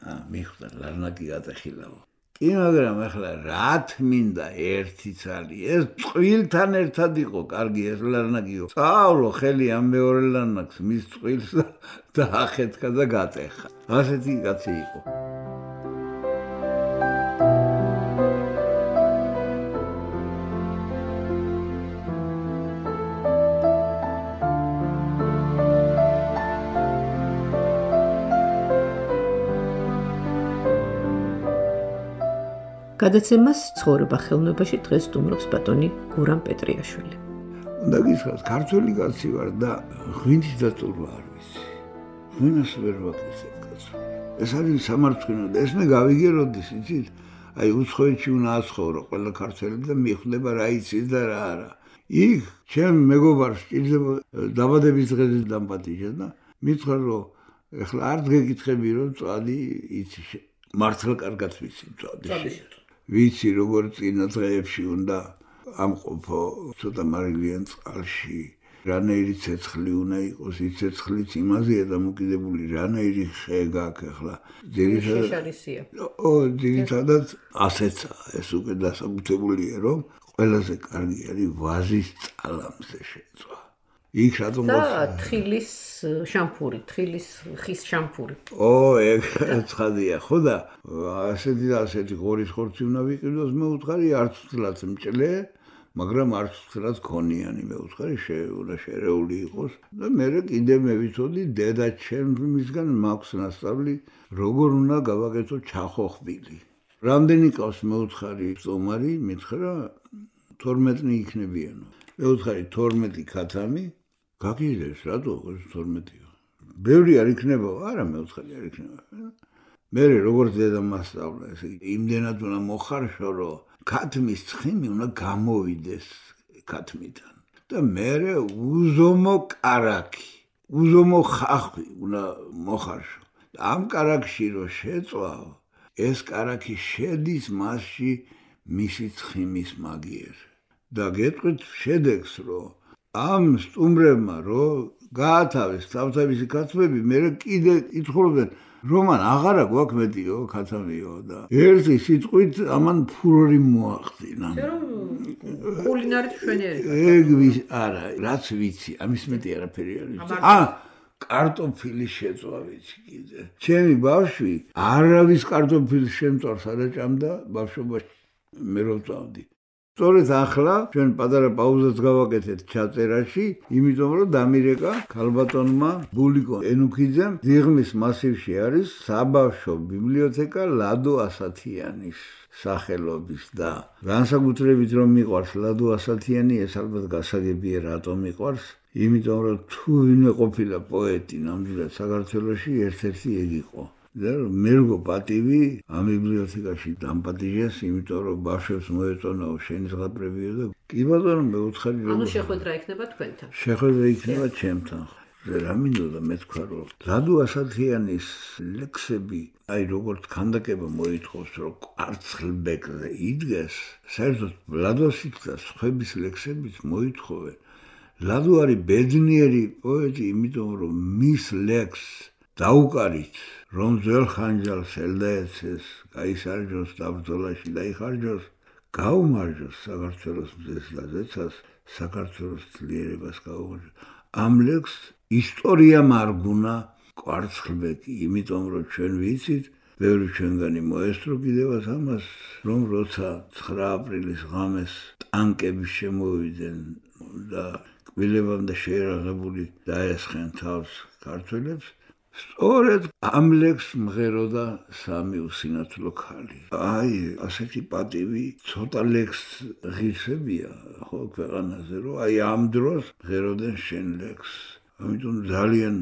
აა, მიხვდა ლარნაკი გატეხილაო. კი, მაგრამ ახლა რა თმინდა ერთი ცალი, ეს წყვილთან ერთად იყო, კარგი ეს ლარნაკიო. წავლო ხელი ამ მეორე ლარნაკს, მის წყვილს და ახეთქა და გატეხა. ასეთი კაცი იყო. გადაცემას ცხოვრება ხელოვნებაში დღეს სტუმრობს ბატონი გურამ პეტრიაშვილი. უნდა გითხრათ, ქართველი კაცი ვარ და ღვინის დატურვა არ ვიცი. ღვინას ვერ ვაკეთებ კაცო. ეს არის სამარცხვინო და ეს მე გავიგე როდის იცით? აი უცხოეთში უნდა აცხოვრო ყველა ქართველი და მიხვდება რა იცის და რა არა. იქ ჩემ მეგობარს ჭირდება დაბადების დღეზე დამპატიჟა და მითხრა რომ ეხლა არ გეკითხები რომ წვადი იცი მართლა კარგად ვიცი წვადი. ვიცი როგორ წინა დღეებში უნდა ამყოფო ცოტა მარილიან წყალში, რანაირი ცეცხლი უნდა იყოს, ის ცეცხლიც იმაზეა დამოკიდებული, რანაირი ხე გაქვს ახლა. შეშარისია. ო, ძირითადად ასეცა, ეს უკვე დასაბუთებულია, რომ ყველაზე კარგი არის ვაზის წყალამდე შეწვა. იქ რატომ და თხილის შამპური, თხილის ხის შამპური. ო, ეგ ცხადია, ხო და ასეთი და ასეთი ღორის ხორცი უნდა ვიყიდოს, მე უთხარი არც ვთლაც მჭლე, მაგრამ არც ვთლაც ქონიანი, მე უთხარი უნდა შერეული იყოს და მე კიდე მე ვიცოდი დედა ჩემისგან მაქვს ნასწავლი, როგორ უნდა გავაკეთო ჩახოხბილი. რამდენი ყავს მე უთხარი სტომარი, მითხრა თორმეტი იქნებიანო. მე უთხარი თორმეტი ქათამი გაგიდეს რატო თორმეტიო? ბევრი არ იქნება? არა, მე უთხარი არ იქნება. მე როგორც დედა მასწავლა, ესე იგი, იმდენად უნდა მოხარშო, რომ ქათმის ცხიმი უნდა გამოვიდეს ქათმიდან. და მე უზომო კარაკი, უზომო ხახვი უნდა მოხარშო. ამ კარაკში რო შეწვავ, ეს კარაკი შედის მასში მისი ცხიმის მაგიერ. და გეტყვით შედეგს, რომ ამ სტუმრებმა რო გაათავეს თავთავისი ქათმები, მე კიდე ითხოვდნენ, რომან აღარა გვაქვს მეტიო ქათამიო და ერთი სიტყვით ამან ფურორი მოახდინა. კულინარით შვენიერი. ეგ არა, რაც ვიცი, ამის მეტი არაფერი არ ვიცი. აა კარტოფილის შეწვა ვიცი კიდე. ჩემი ბავშვი არავის კარტოფილის შემწვარს არ აჭამდა ბავშვობაში. მე რო ვწავდი. სწორედ ახლა ჩვენ პატარა პაუზას გავაკეთეთ ჩაწერაში, იმიტომ რომ დამირეკა ქალბატონმა ბულიკო ენუქიძემ დიღმის მასივში არის საბავშვო ბიბლიოთეკა ლადო ასათიანის სახელობის და განსაკუთრებით რომ მიყვარს ლადო ასათიანი, ეს ალბათ გასაგებია რატომ მიყვარს, იმიტომ რომ თუ ვინმე ყოფილა პოეტი ნამდვილად საქართველოში ერთ-ერთი ეგ იყო. და მე როგორ პატივი ამ ბიბლიოთეკაში დამპატიჟეს, იმიტომ რომ ბავშვებს მოეწონაო შენიზღაპრებიო და კი ბატონო მე უთხარი რომ ანუ შეხვედრა იქნება თქვენთან. შეხვედრა იქნება ჩემთან. რა მინდოდა მე თქვა რომ ლადო ასათიანის ლექსები, აი როგორც ქანდაკება მოითხოვს რომ კვარცხლბეკზე იდგეს, საერთოდ ლადოსით და სხვების ლექსებიც მოითხოვენ. ლადო არის ბედნიერი პოეტი, იმიტომ რომ მის ლექსს დაუკარით რომ ძველ ხანჯალს ელდაეცეს, გაისარჯოს საბრძოლაში დაიხარჯოს, გაუმარჯოს საქართველოს მზეს და ზეცას, საქართველოს ძლიერებას გაუმარჯოს. ამ ლექსს ისტორია მარგუნა კვარცხლბეკი, იმიტომ რომ ჩვენ ვიცით, ბევრი ჩვენგანი მოესწრო კიდევაც ამას, რომ როცა ცხრა აპრილის ღამეს ტანკები შემოვიდნენ და კბილებამდე შეერაღებული დაესხნენ თავს ქართველებს, სწორედ ამ ლექსს მღეროდა სამი უსინათლო ქალი. აი, ასეთი პატივი ცოტა ლექსს ღირსებია ხო ქვეყანაზე, რომ აი ამ დროს მღეროდნენ შენ ლექსს. ამიტომ ძალიან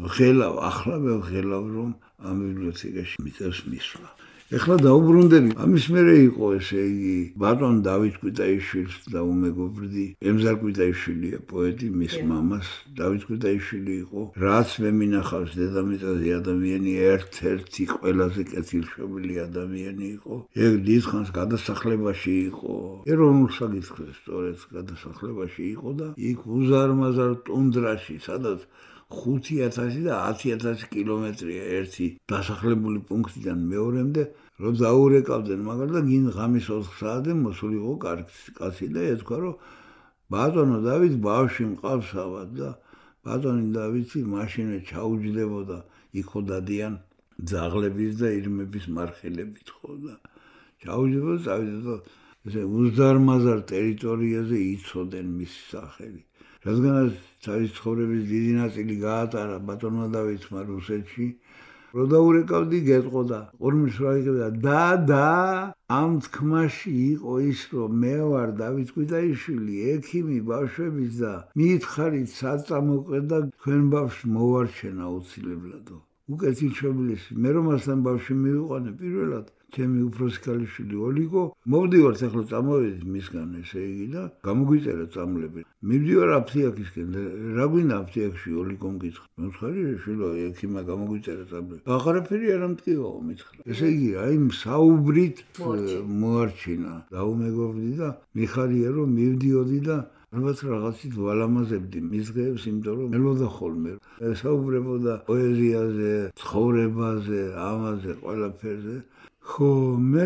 ვღელავ, ახლა ვღელავ, რომ ამ ბიბლიოთეკაში მიწევს მისვლა. ეხლა დაუბრუნდები, ამის მერე იყო ესე იგი ბატონ დავით კვიტაიშვილს დაუმეგობრდი. ემზარ კვიტაიშვილია პოეტი, მის მამას დავით კვიტაიშვილი იყო, რაც მე მინახავს დედამიწაზე ადამიანი ერთ-ერთი ყველაზე კეთილშობილი ადამიანი იყო. ეგ დიდხანს გადასახლებაში იყო, ეროვნულ საკითხზე სწორედ გადასახლებაში იყო და იქ უზარმაზარ ტუნდრაში, სადაც ხუთი ათასი და ათი ათასი კილომეტრია ერთი დასახლებული პუნქტიდან მეორემდე, რომ დაურეკავდნენ, მაგრამ და გინ ღამის ოთხ საათზე მოსულიყო კაცი და ეთქვა, რომ ბატონო დავით ბავშვი მყავს ავად და ბატონი დავითი მაშინვე ჩაუჯდებოდა, იქ დადიან ძაღლების და ირმების მარხილებით ხო და ჩაუჯდებოდა, წავიდა ესე უზარმაზარ ტერიტორიაზე იცოდნენ მის სახელი. რადგანაც თავის ცხოვრების დიდი ნაწილი გაატარა ბატონმა დავითმა რუსეთში, რო დაურეკავდი გეტყოდა, ორმის რა იგებდა და და ამ თქმაში იყო ის, რომ მე ვარ დავით კვიტაიშვილი, ექიმი ბავშვების და მითხარით საწამოყვე და თქვენ ბავშვს მოვარჩენ აუცილებლადო. უკეთილშობილესი, მე რომ მასთან ბავშვი მივიყვანე პირველად, ჩემი უფროსი ქალიშვილი ოლიგო, მოვდივართ ახლა წამოვედით მისგან ესე იგი და გამოგვიწერა წამლები. მივდივარ აფთიაქისკენ, რა გვინდა აფთიაქში ოლიგომ გითხრა. მეხარი შვილო ექიმა გამოგვიწერა წამლები. აღარაფერი არ ამტკივაო მითხრა. ესე იგი, აი საუბრით მოარჩინა. დაუმეგობრდი და მიხარია რომ მივდიოდი და ალბათ რაღაცით ვალამაზებდი მის დღეებს, იმიტომ რომ ელოდა ხოლმე. საუბრებოდა პოეზიაზე, ცხოვრებაზე, ამაზე, ყველაფერზე. ხო, მე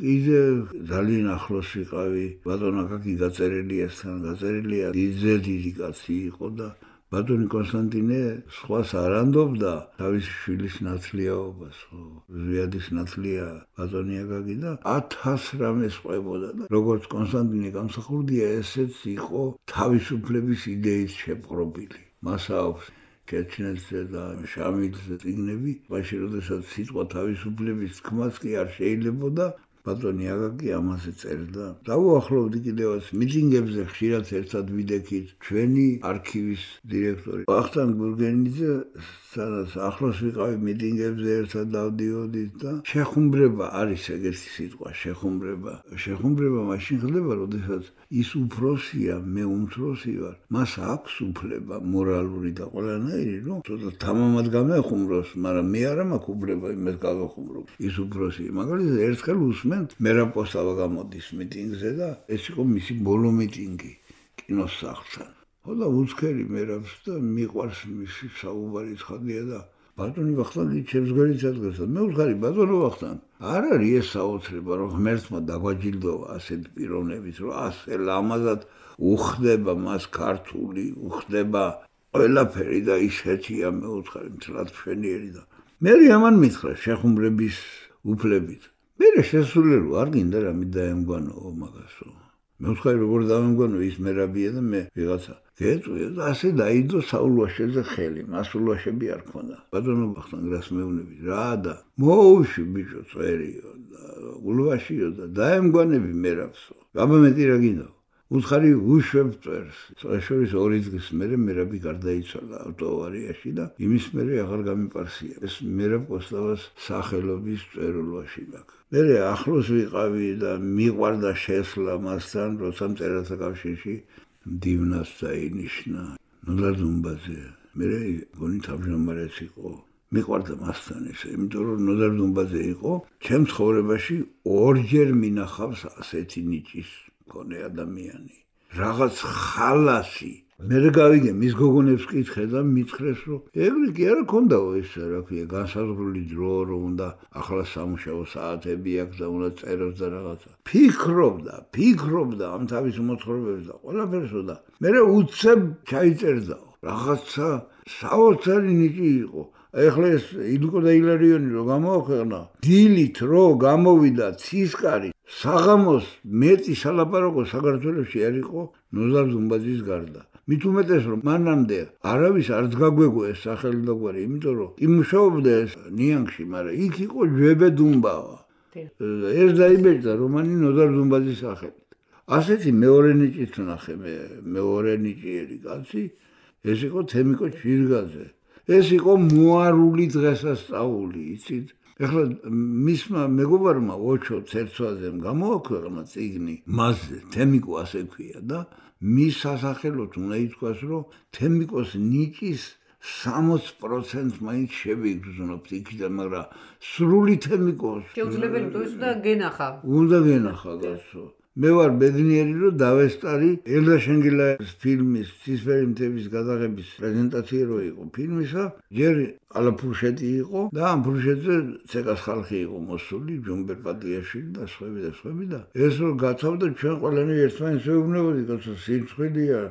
კიდე ძალიან ახლოს ვიყავი, ბატონ აკაკი გაწერილიასთან, გაწერილია დიდზე დიდი კაცი იყო და ბატონი კონსტანტინე სხვას არ ანდობდა თავის შვილის ნათლიაობას, ხო, ზვიადის ნათლია ბატონი აკაკი და ათას რამეს ყვებოდა და როგორც კონსტანტინე გამსახურდია, ესეც იყო თავისუფლების იდეით შეპყრობილი. მას აქვს ჩეჩნეთზე და შამილზე წიგნები, მაშინ როდესაც სიტყვა თავისუფლების თქმაც კი არ შეიძლებოდა, ბატონი აკაკი ამაზე წერდა. დავუახლოვდი კიდევაც მიტინგებზე ხშირად ერთად ვიდექით ჩვენი არქივის დირექტორი ვახტანგ გურგენიძე, სადაც ახლოს ვიყავი მიტინგებზე ერთად დავდიოდით და შეხუმბრება არის ეგეთი სიტყვა, შეხუმბრება. შეხუმბრება მაშინ ხდება, როდესაც ის უფროსია, მე უმცროსი ვარ, მას აქვს უფლება მორალური და ყველანაირი, რომ ცოტა თამამად გამეხუმროს, მაგრამ მე არ მაქვს უფლება იმას გავეხუმრო. ის უფროსია, მაგალითად ერთხელ უსმენთ მერაპოსტავა გამოდის მიტინგზე და ეს იყო მისი ბოლო მიტინგი კინოს სახლთან. ხო და უცხერი მერაბს და მიყვარს მისი საუბარი ცხადია და ბატონი ვახტანგი ჩემს გვერდით ადგას და მე ვხარი ბატონო ვახტანგ, არ არის ეს საოცრება, რომ ღმერთმა დაგვაჯილდოვა ასეთ პიროვნებით, რომ ასე ლამაზად უხდება მას ქართული, უხდება ყველაფერი და ისეთია, მე ვხარი მთლად მშვენიერი და მე ამან მითხრა შეხუმრების უფლებით. მე შესული რო არ გინდა რამე დაემგვანო მაგასო. მე ვთქვი როგორ დაემგვანო ის მერაბია და მე ვიღაცა გეტყვია და ასე დაიდო საულვაშეზე ხელი, მასულვაშები არ ქონდა. ბატონო ბახტანგრას მეუბნები რა და მოუში ბიჭო წერიო და ულვაშიო და დაემგვანები მერაბსო. აბა მეტი რა გინდა? უთხარი უშვებ წვერს. სწორედ ორი დღის მერე მერაბი გარდაიცვალა ავტოავარიაში და იმის მერე აღარ გამიპარსია. ეს მერაბ კოსტავას სახელობის წერილვაში მაქვს. მე ახლოს ვიყავი და მიყვარდა შესვლა მასთან, როცა მწერალთა კავშირში მდივნას დაინიშნა. ნოდარ დუმბაძე. მე გონი თავმჯდომარეც იყო. მიყვარდა მასთან ესე, იმიტომ რომ ნოდარ დუმბაძე იყო, ჩემ ცხოვრებაში ორჯერ მინახავს ასეთი ნიჭის მქონე ადამიანი. რაღაც ხალასი. მე გავიგე მის გოგონებს კითხე და მითხრეს რომ ეგრე კი არა ქონდაო ეს რა ქვია განსაზღვრული დრო რომ უნდა ახლა სამუშაო საათები აქვს და უნდა წეროს და რაღაცა. ფიქრობდა, ფიქრობდა ამ თავის მოთხრობებს და ყველაფერსო და მე უცებ ჩაიწერდაო. რაღაცა საოცარი ნიჭი იყო. ეხლა ეს ილიკო და ილარიონი რო გამოაქვეყნა, დილით რო გამოვიდა ცისკარი, საღამოს მეტი სალაპარაკო საქართველოში არ იყო ნოდარ დუმბაძის გარდა. მით უმეტეს რომ მანამდე არავის არც გაგვეგო ეს სახელი და გვარი, იმიტომ რომ იმუშაობდა ეს ნიანგში, მაგრამ იქ იყო ჯვებე დუმბავა. ეს დაიბეჭდა რომანი ნოდარ დუმბაძის სახელით. ასეთი მეორე ნიჭით ვნახე მე, მეორე ნიჭიერი კაცი, ეს იყო თემიკო ჭირგაძე. ეს იყო მოარული დღესასწაული, იცით? ეხლა მისმა მეგობარმა ოჩო ცერცვაძემ გამოაქვეყნა წიგნი მასზე, თემიკო ასე ქვია და მის სასახელოდ უნდა ითქვას, რომ თემიკოს ნიჭის სამოცი პროცენტს მაინც შევიგრძნობთ იქიდან, მაგრამ სრული თემიკოს შეუძლებელი თუ ის უნდა გენახა. უნდა გენახა გასო. მე ვარ ბედნიერი რომ დავესწარი ელდა შენგელაის ფილმის ცისფერი მთების გადაღების პრეზენტაცია რო იყო ფილმისა, ჯერ ალაფურშეთი იყო და ამ ფურშეთზე ცეკას ხალხი იყო მოსული, ჯუმბერ პატიაშვილი და სხვები და სხვები და ეს რო გათავდა ჩვენ ყველანი ერთმანეთს ვეუბნებოდი, კაცო სიცხვილეა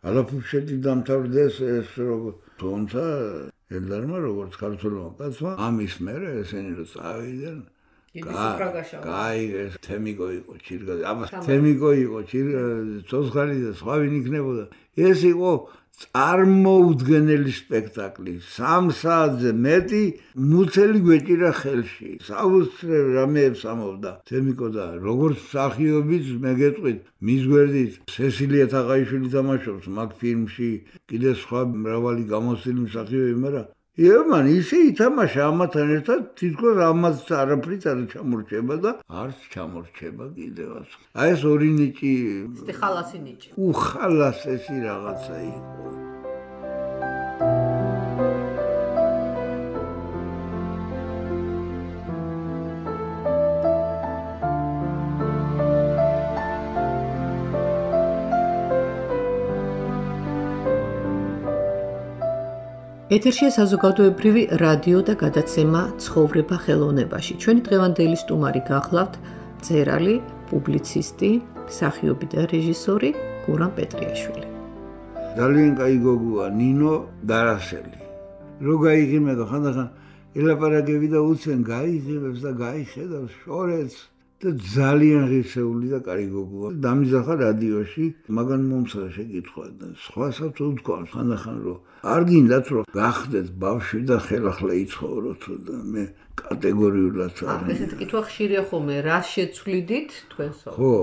ალაფურშეთი დამთავრდეს ეს რო თუმცა ელდარმა როგორც ქართულმა კაცმა ამის მერე ესენი რო წავიდნენ კაი ეს თემიკო იყო ჭირგაძე. აბა თემიკო იყო ჭირგაძე, ცოცხალი და სხვა ვინ იქნებოდა. ეს იყო წარმოუდგენელი სპექტაკლი. სამ საათზე მეტი მუცელი გვეჭირა ხელში. საოცრად რამეებს ამობდა თემიკო და როგორც მსახიობიც მე გეტყვით, მის გვერდით სესილია თაყაიშვილი თამაშობს მაგ ფილმში, კიდე სხვა მრავალი გამოსილი მსახიობი, მაგრამ ემან ისე ითამაშა ამათთან ერთად, თითქოს ამაც არაფრით არ ჩამორჩება და არც ჩამორჩება კიდევაც. აი ეს ორი ნიჭი, ეს ხალასი ნიჭი. უხალასესი რაღაცა იყო. ეთერშია საზოგადოებრივი რადიო და გადაცემა ცხოვრება ხელოვნებაში. ჩვენი დღევანდელი სტუმარი გახლავთ მწერალი, პუბლიცისტი, მსახიობი და რეჟისორი გურამ პეტრიაშვილი. ძალიან კაი გოგოა ნინო დარასელი. რო გაიგიმედა ხანდახან ელაპარაკები და უცენ გაიგებს და გაიხედავს შორებს და ძალიან ღირსეული და კაი გოგოა. დამიზახა რადიოში, მაგან მომსა შეკითხვა და სხვასაც უთქვამს ხანდახან რომ არ გინდათ რომ გახდეთ ბავშვი და ხელახლა იცხოვროთ და მე კატეგორიულად არ. ესეთი კითხვა ხშირია ხოლმე, რა შეცვლიდით თქვენსო? ხო,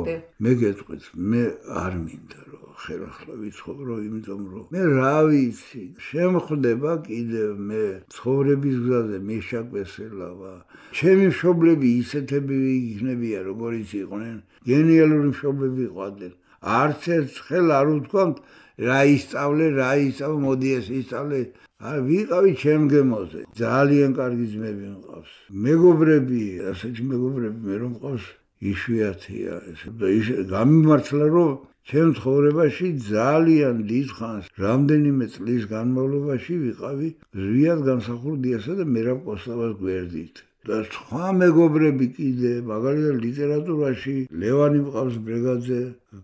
მე გეტყვით, მე არ მინდა რომ ხელახლა ვიცხოვრო, იმიტომ რომ მე რა ვიცი, შემხვდება კიდევ მე ცხოვრების გზაზე მიშაკვესელავა. ჩემი მშობლები ისეთები იქნებიან, როგორიც იყვნენ, გენიალური მშობლები იყვნენ. არც ერთ ხელ არ უთქვამთ რა ისწავლე, რა ისწავლე, მოდი ეს ისწავლე. არ ვიყავი ჩემ გემოზე. ძალიან კარგი ძმები მყავს. მეგობრები, ასეთი მეგობრები მე რომ მყავს, იშვიათია ეს. და ის გამიმართლა რომ ჩემ ცხოვრებაში ძალიან დიდხანს, რამდენიმე წლის განმავლობაში ვიყავი ზვიად განსახურდიასა და მერაბ კოსტავას გვერდით. და სხვა მეგობრები კიდე, მაგალითად ლიტერატურაში ლევანი მყავს ბრეგაძე,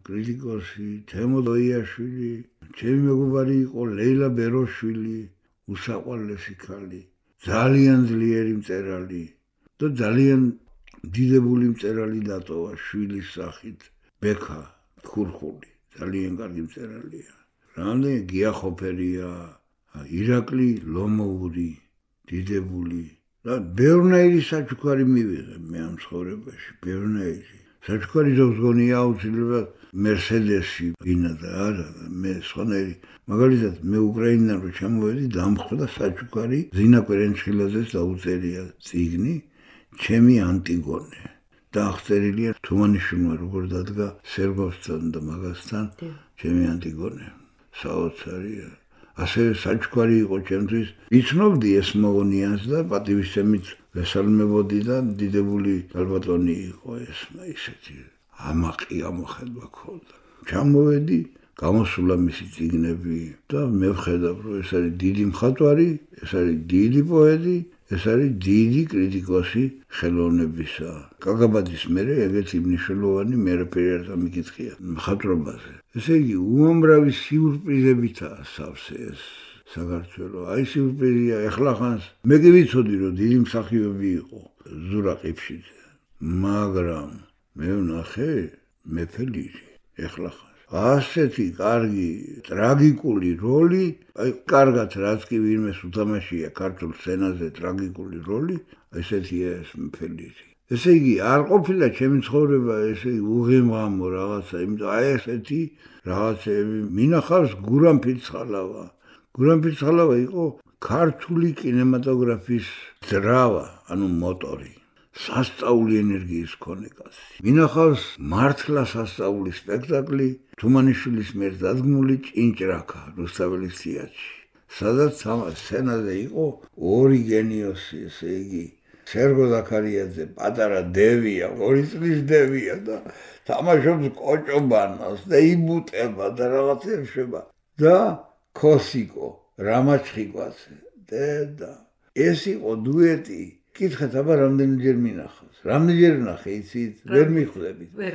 კრიტიკოსი, თემო დოიაშვილი, ჩემი მეგობარი იყო ლეილა ბეროშვილი, უსაყვარლესი ქალი, ძალიან ძლიერი მწერალი და ძალიან დიდებული მწერალი დატოვა შვილის სახით ბექა ხურხული ძალიან კარგი მწერალია რამდენი გიახოფერია ირაკლი ლომოური დიდებული და ბევრნაირი საჩუქარი მივიღე მე ამ ცხოვრებაში ბევრნაირი საჩუქარი ზოგზგონია აუცილებლად მერსედესი ვინა და არა მე სხვანაირი მაგალითად მე უკრაინიდან რო ჩამოვედი დამხვდა საჩუქარი ზინა კვერენჩხილაძეს დაუწერია წიგნი ჩემი ანტიგონე და აღწერილია თუმანიშვილმა როგორ დადგა სერგოვსთან და მაგასთან ჩემი ანტიგონე საოცარია ასევე საჩუქარი იყო ჩემთვის იცნობდი ეს მოგონიანს და პატივისცემით ვესალმებოდი და დიდებული ალბატონი იყო ეს ისეთი ამაყი ამოხედვა ქონდა ჩამოვედი გამოსულა მისი წიგნები და მე ვხედავ რომ ეს არის დიდი მხატვარი ეს არის დიდი პოეტი ეს არის დიდი კრიტიკოსი ხელოვნებისა კაგაბაძის მერე ეგეთი მნიშვნელოვანი მერე არ დამიკითხია მხატვრობაზე ესე იგი უამრავი სიურპრიზებითაა სავსე ეს საქართველო აი სიურპრიზია ეხლახანს მე კი ვიცოდი რომ დიდი მსახიობი იყო ზურა ყიფშიძე მაგრამ მე ვნახე მეფე ლირი ეხლახანს ასეთი კარგი ტრაგიკული როლი აი კარგად რაც კი ვინმეს უთამაშია ქართულ სცენაზე ტრაგიკული როლი ესეთია ეს მეფე ლირი ესე იგი არ ყოფილა ჩემი ცხოვრება ესე უღიმღამო რაღაცა იმიტომ აი ესეთი რაღაცები მინახავს გურამ ფირცხალავა გურამ ფირცხალავა იყო ქართული კინემატოგრაფის ძრავა ანუ მოტორი სასწაული ენერგიის მქონე კაცი მინახავს მართლა სასწაული სპექტაკლი თუმანიშვილის მიერ დადგმული ჭინჭრაკა რუსთაველის თეატრში სადაც ამ სცენაზე იყო ორი გენიოსი ესე იგი სერგო ზაქარიაძე პატარა დევია ორი წლის დევია და თამაშობს კოჭობანას და იბუტება და რაღაცებს შევა და ქოსიკო რამაჩხიკვაძე და ეს იყო დუეტი კითხეთ აბა რამდენჯერ მინახავს რამდენჯერ ვნახე იცით ვერ მიხვდებით ვერ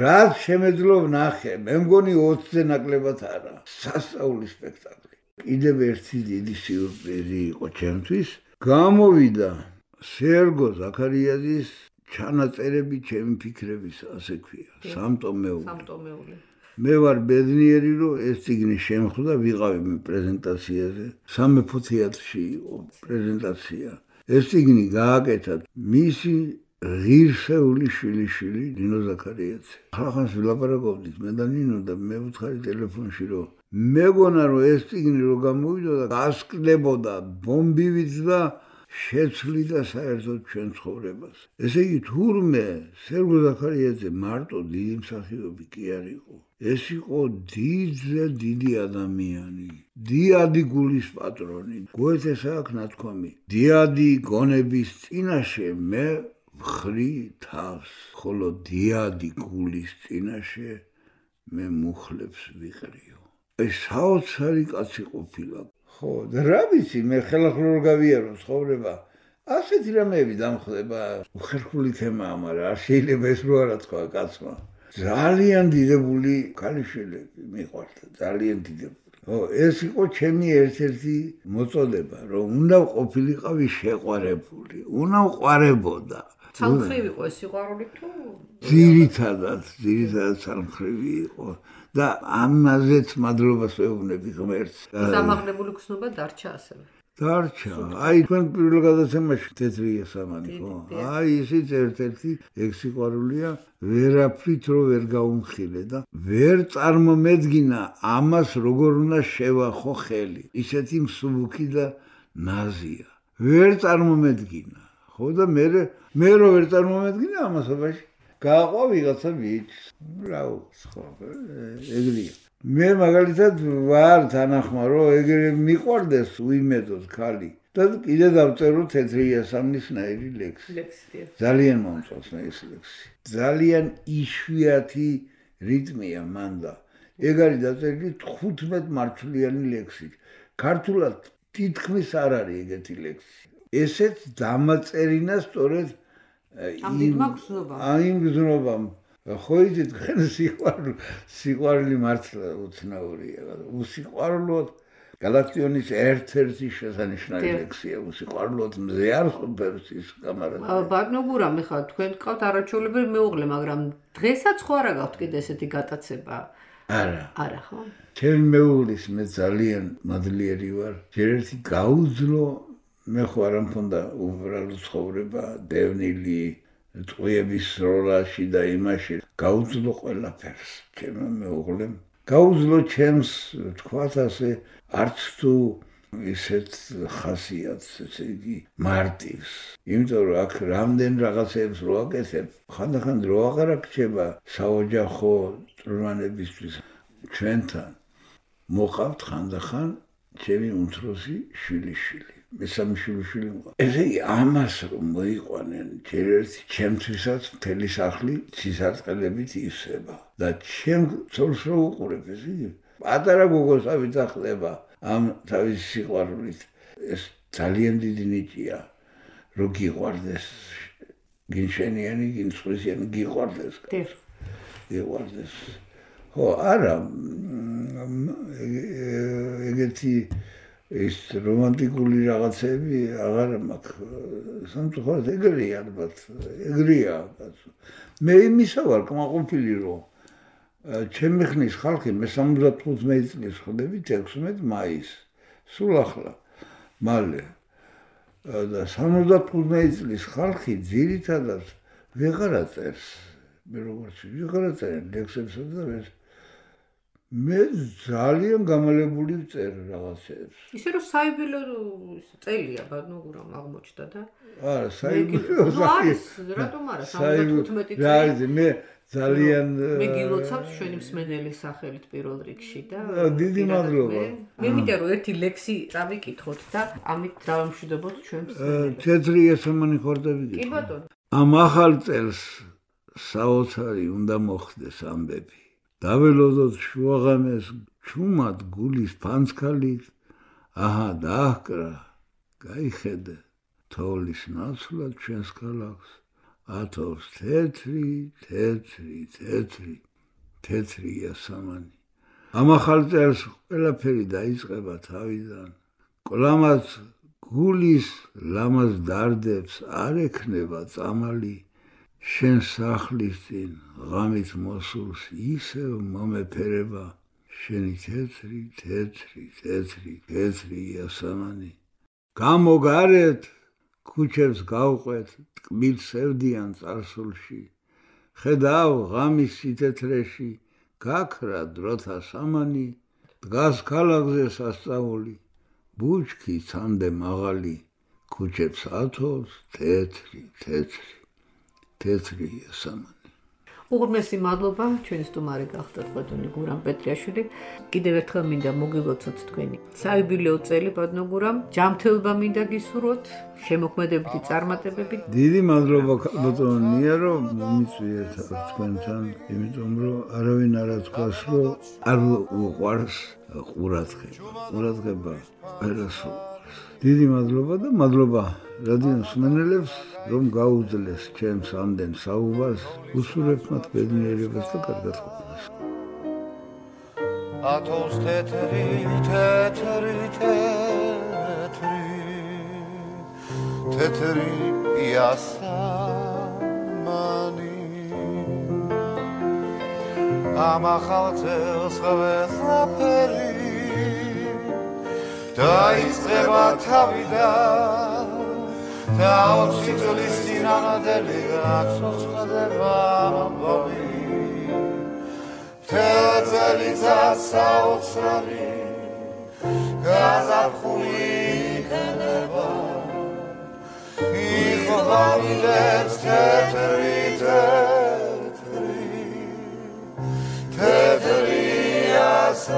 რაც შემეძლო ვნახე მე მგონი ოცზე ნაკლებად არა სასწაული სპექტაკლი კიდევ ერთი დიდი სიურპრიზი იყო ჩემთვის გამოვიდა სერგო ზაქარიაძის ჩანაწერები ჩემი ფიქრების ასე ქვია სამტომეული სამტომეული მე ვარ ბედნიერი რომ ეს წიგნი შემხვდა ვიყავი მე პრეზენტაციაზე სამეფო თეატრში იყო პრეზენტაცია ეს წიგნი გააკეთა მისი ღირსეული შვილიშვილი ნინო ზაქარიაძე ახლა ვილაპარაკობდით მე და ნინო და მე ვუთხარი ტელეფონში რომ მეგონა რომ ეს წიგნი რო გამოვიდოდა გასკდებოდა ბომბივით და შეცვლიდა საერთოდ ჩვენ ცხოვრებას ესე იგი თურმე სერგო ზაქარიაძე მარტო დიდი მსახიობი კი არ იყო ეს იყო დიდზე დიდი ადამიანი დიადი გულის პატრონი გოეთეს აქვს ნათქვამი დიადი გონების წინაშე მე ვხრი თავს ხოლო დიადი გულის წინაშე მე მუხლებს ვიყრიო ეს საოცარი კაცი ყოფილა ხო და რა ვიცი მე ხელახლა რო გავიარო ცხოვრება ასეთი რამეები დამხდება უხერხული თემაა მაგრამ არ შეიძლება ეს რო არა თქვა კაცმა ძალიან დიდებული ქალიშვილები მიყვარდა ძალიან დიდებული ხო ეს იყო ჩემი ერთ-ერთი მოწოდება რომ უნდა ყოფილიყავი შეყვარებული უნდა ვყვარებოდა ცალმხრივი იყო ეს სიყვარული თუ ძირითადად ძირითადად ცალმხრივი იყო და ამაზეც მადლობას ვეუბნები ღმერთს სამაღლებული გრძნობა დარჩა ასევე დარჩა აი თქვენ პირველ გადაცემაში თეთრია სამანი ხო აი ისიც ერთ-ერთი ეგ სიყვარულია ვერაფრით რო ვერ გაუმხილე და ვერ წარმომედგინა ამას როგორ უნდა შევახო ხელი ისეთი მსუბუქი და ნაზია ვერ წარმომედგინა ხო და მე მე რო ვერ წარმომედგინა ამასობაში გაყვა ვიღაცა ბიჭს რაუ სხვა ეგრეა მე მაგალითად ვარ თანახმა რომ ეგრე მიყვარდეს უიმედოდ ხალი და კიდე დავწერო თეთრია სამნისნაირი ლექსი ძალიან მომწონს მე ეს ლექსი ძალიან იშვიათი რიტმია მანდა ეგ არის დაწერილი თხუთმეტ მარცვლიანი ლექსი ქართულად თითქმის არ არის ეგეთი ლექსი ესეც დამაწერინა სწორედ იმ გზნობამ ხო იცით თქვენ სიყვარული სიყვარული მართლა უცნაურია უსიყვარულოდ გალაქტიონის ერთ-ერთი შესანიშნავი ლექსია უსიყვარულოდ მზე არ ყოფებს ის კამარა. ბატონო გურამ, ეხლა თქვენ გყავთ არაჩვეულებრივი მეუღლე, მაგრამ დღესაც ხო არა გაქვთ კიდე ესეთი გატაცება? არა. არა ხო? ჩემი მეუღლის მე ძალიან მადლიერი ვარ. ჯერ ერთი გაუძლო მე ხო არ მქონდა უბრალო ცხოვრება, დევნილი, წვიების როლაში და იმაში. გაუძლო ყველაფერს ჩემო მეუღლემ. გაუძლო ჩემს თქვათ ასე არც თუ ისეთ ხასიათს, ესე იგი მარტივს. იმიტომ რომ აქ რამდენ რაღაცებს რო აკეთებ, ხანდახან რო აღარ აქჩება საოჯახო წვრთნებისთვის ჩვენთან. მოყავთ ხანდახან ჩემი უმცროსი შვილიშვილი. მესამე შვილიშვილი მოყავთ. ესე იგი ამას რომ მოიყვანენ, ჯერ ერთი ჩემთვისაც მთელი სახლი ცისარტყელებით ივსება. და ჩემ ცოლს რო უყურებ, ესე იგი პატარა გოგოს ავიძახლება ამ თავის სიყვარულით. ეს ძალიან დიდი ნიჭია, რომ გიყვარდეს გინშენიანი, გინცხვისიანი, გიყვარდეს. გიყვარდეს. ხო, არა, ეგეთი ის რომანტიკული რაღაცები აღარ მაქვს. სამწუხაროდ ეგრეა ალბათ, ეგრეა. მე იმისა ვარ კმაყოფილი, რომ ჩემი ხნის ხალხი მე სამოცდათხუთმეტი წლის ხდებით ექვსმეტ მაისს. სულ ახლა. მალე. და სამოცდათხუთმეტი წლის ხალხი ძირითადად ვეღარ აწერს. მე როგორც ვეღარ აწერენ ლექსებსა და ეს მე ძალიან გამალებული ვწერ რაღაცებს. ისე რომ საიუბილეო წელია ბატონო გურამ აღმოჩნდა და არა, საიუბილეო არის, რატომ არა სამოცდათხუთმეტი წელი. რა არის, მე ძალიან მე გილოცავთ ჩვენი მსმენელის სახელით პირველ რიგში და დიდი მადლობა. მე მინდა რომ ერთი ლექსი წავიკითხოთ და ამით დავამშვიდობოთ ჩვენ მსმენელს. თეთრი ესამანი ხორდები. კი ბატონო. ამ ახალ წელს საოცარი უნდა მოხდეს ამბები. დაველოდოთ შუაღამეს ჩუმად გულის ფანცქალით, აჰა დააჰკრა, გაიხედე, თოვლის ნაცვლად ჩვენს ქალაქს, ათოვს თეთრი, თეთრი, თეთრი, თეთრი იასამანი. ამ ახალ წელს ყველაფერი დაიწყება თავიდან, კლამაც გულის ლამაზ დარდებს არ ექნება წამალი, შენ სახლის წინ ღამით მოსულს ისევ მომეფერება, შენი თეთრი, თეთრი, თეთრი, თეთრი იასამანი. გამოგარეთ, ქუჩებს გავყვეთ, ტკბილ სევდიან წარსულში. ხედავ ღამის სითეთრეში, გაქრა დროთა სამანი, დგას ქალაქზე სასწაული, ბუჩქი ცამდე მაღალი, ქუჩებს ათოვს თეთრი, თეთრი. თეთრი იასამანი. უღრმესი მადლობა ჩვენი სტუმარი გახდათ ბატონი გურამ პეტრიაშვილი. კიდევ ერთხელ მინდა მოგილოცოთ თქვენი საიუბილეო წელი ბატონო გურამ. ჯანმრთელობა მინდა გისურვოთ, შემოქმედებითი წარმატებები. დიდი მადლობა ბატონო ნია რომ მომიწვიეთ თქვენთან, იმიტომ რომ არავინ არ ათქვას რომ არ უყვარს ყურადღება. ყურადღება ყველას უყვარს. დიდი მადლობა და მადლობა რადიო მსმენელებს, რომ გაუძლეს ჩემს ამდენ საუბარს, უსურვებთ მათ ბედნიერებას და კარგად ყოფნას. ათოვს თეთრი, თეთრი, თეთრი, თეთრი იასამანი. ამ ახალ წელს ყველაფერი დაიწყება თავიდან, და ოცი წლის წინამძღოლი გაცოცხლდება ამბობი. მთელ წელიწად საოცარი გაზაფხული იქნება, იხვალინებს თეთრი, თეთრი, თეთრი იასამანი.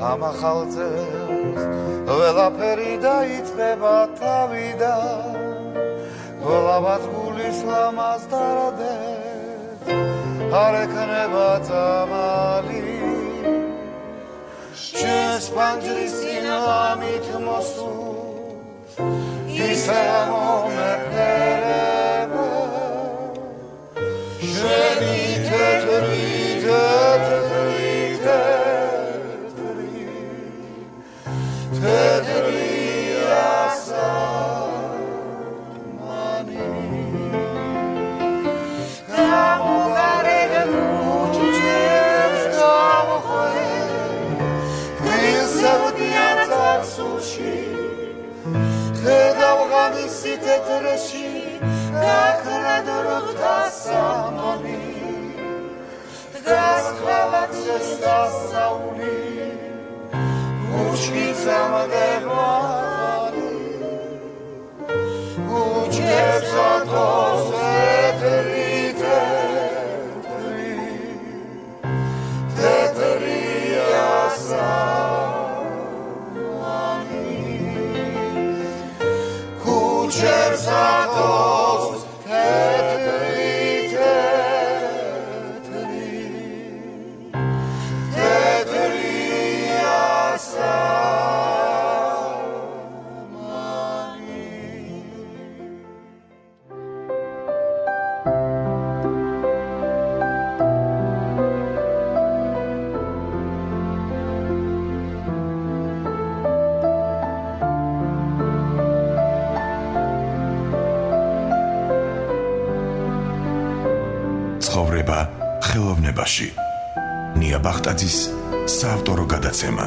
ამ ახალ წელს ყველაფერი დაიწყება თავიდან, გოლავად გულის ლამაზ დარდებს არ ექნება წამალი. ჩვენს პანჯრის წინ ლამით მოსულს ისე მომეფერება, შენი თეთრი, ასწავლი უჩქი წამდებარი უჩქებს ათოს ეთრი თეთრი თეთრია სამანი უჩქებს ათოს თეთრი თეთრი თეთრია სამანი ცხოვრება ხელოვნებაში. ნია ბახტაძის საავტორო გადაცემა.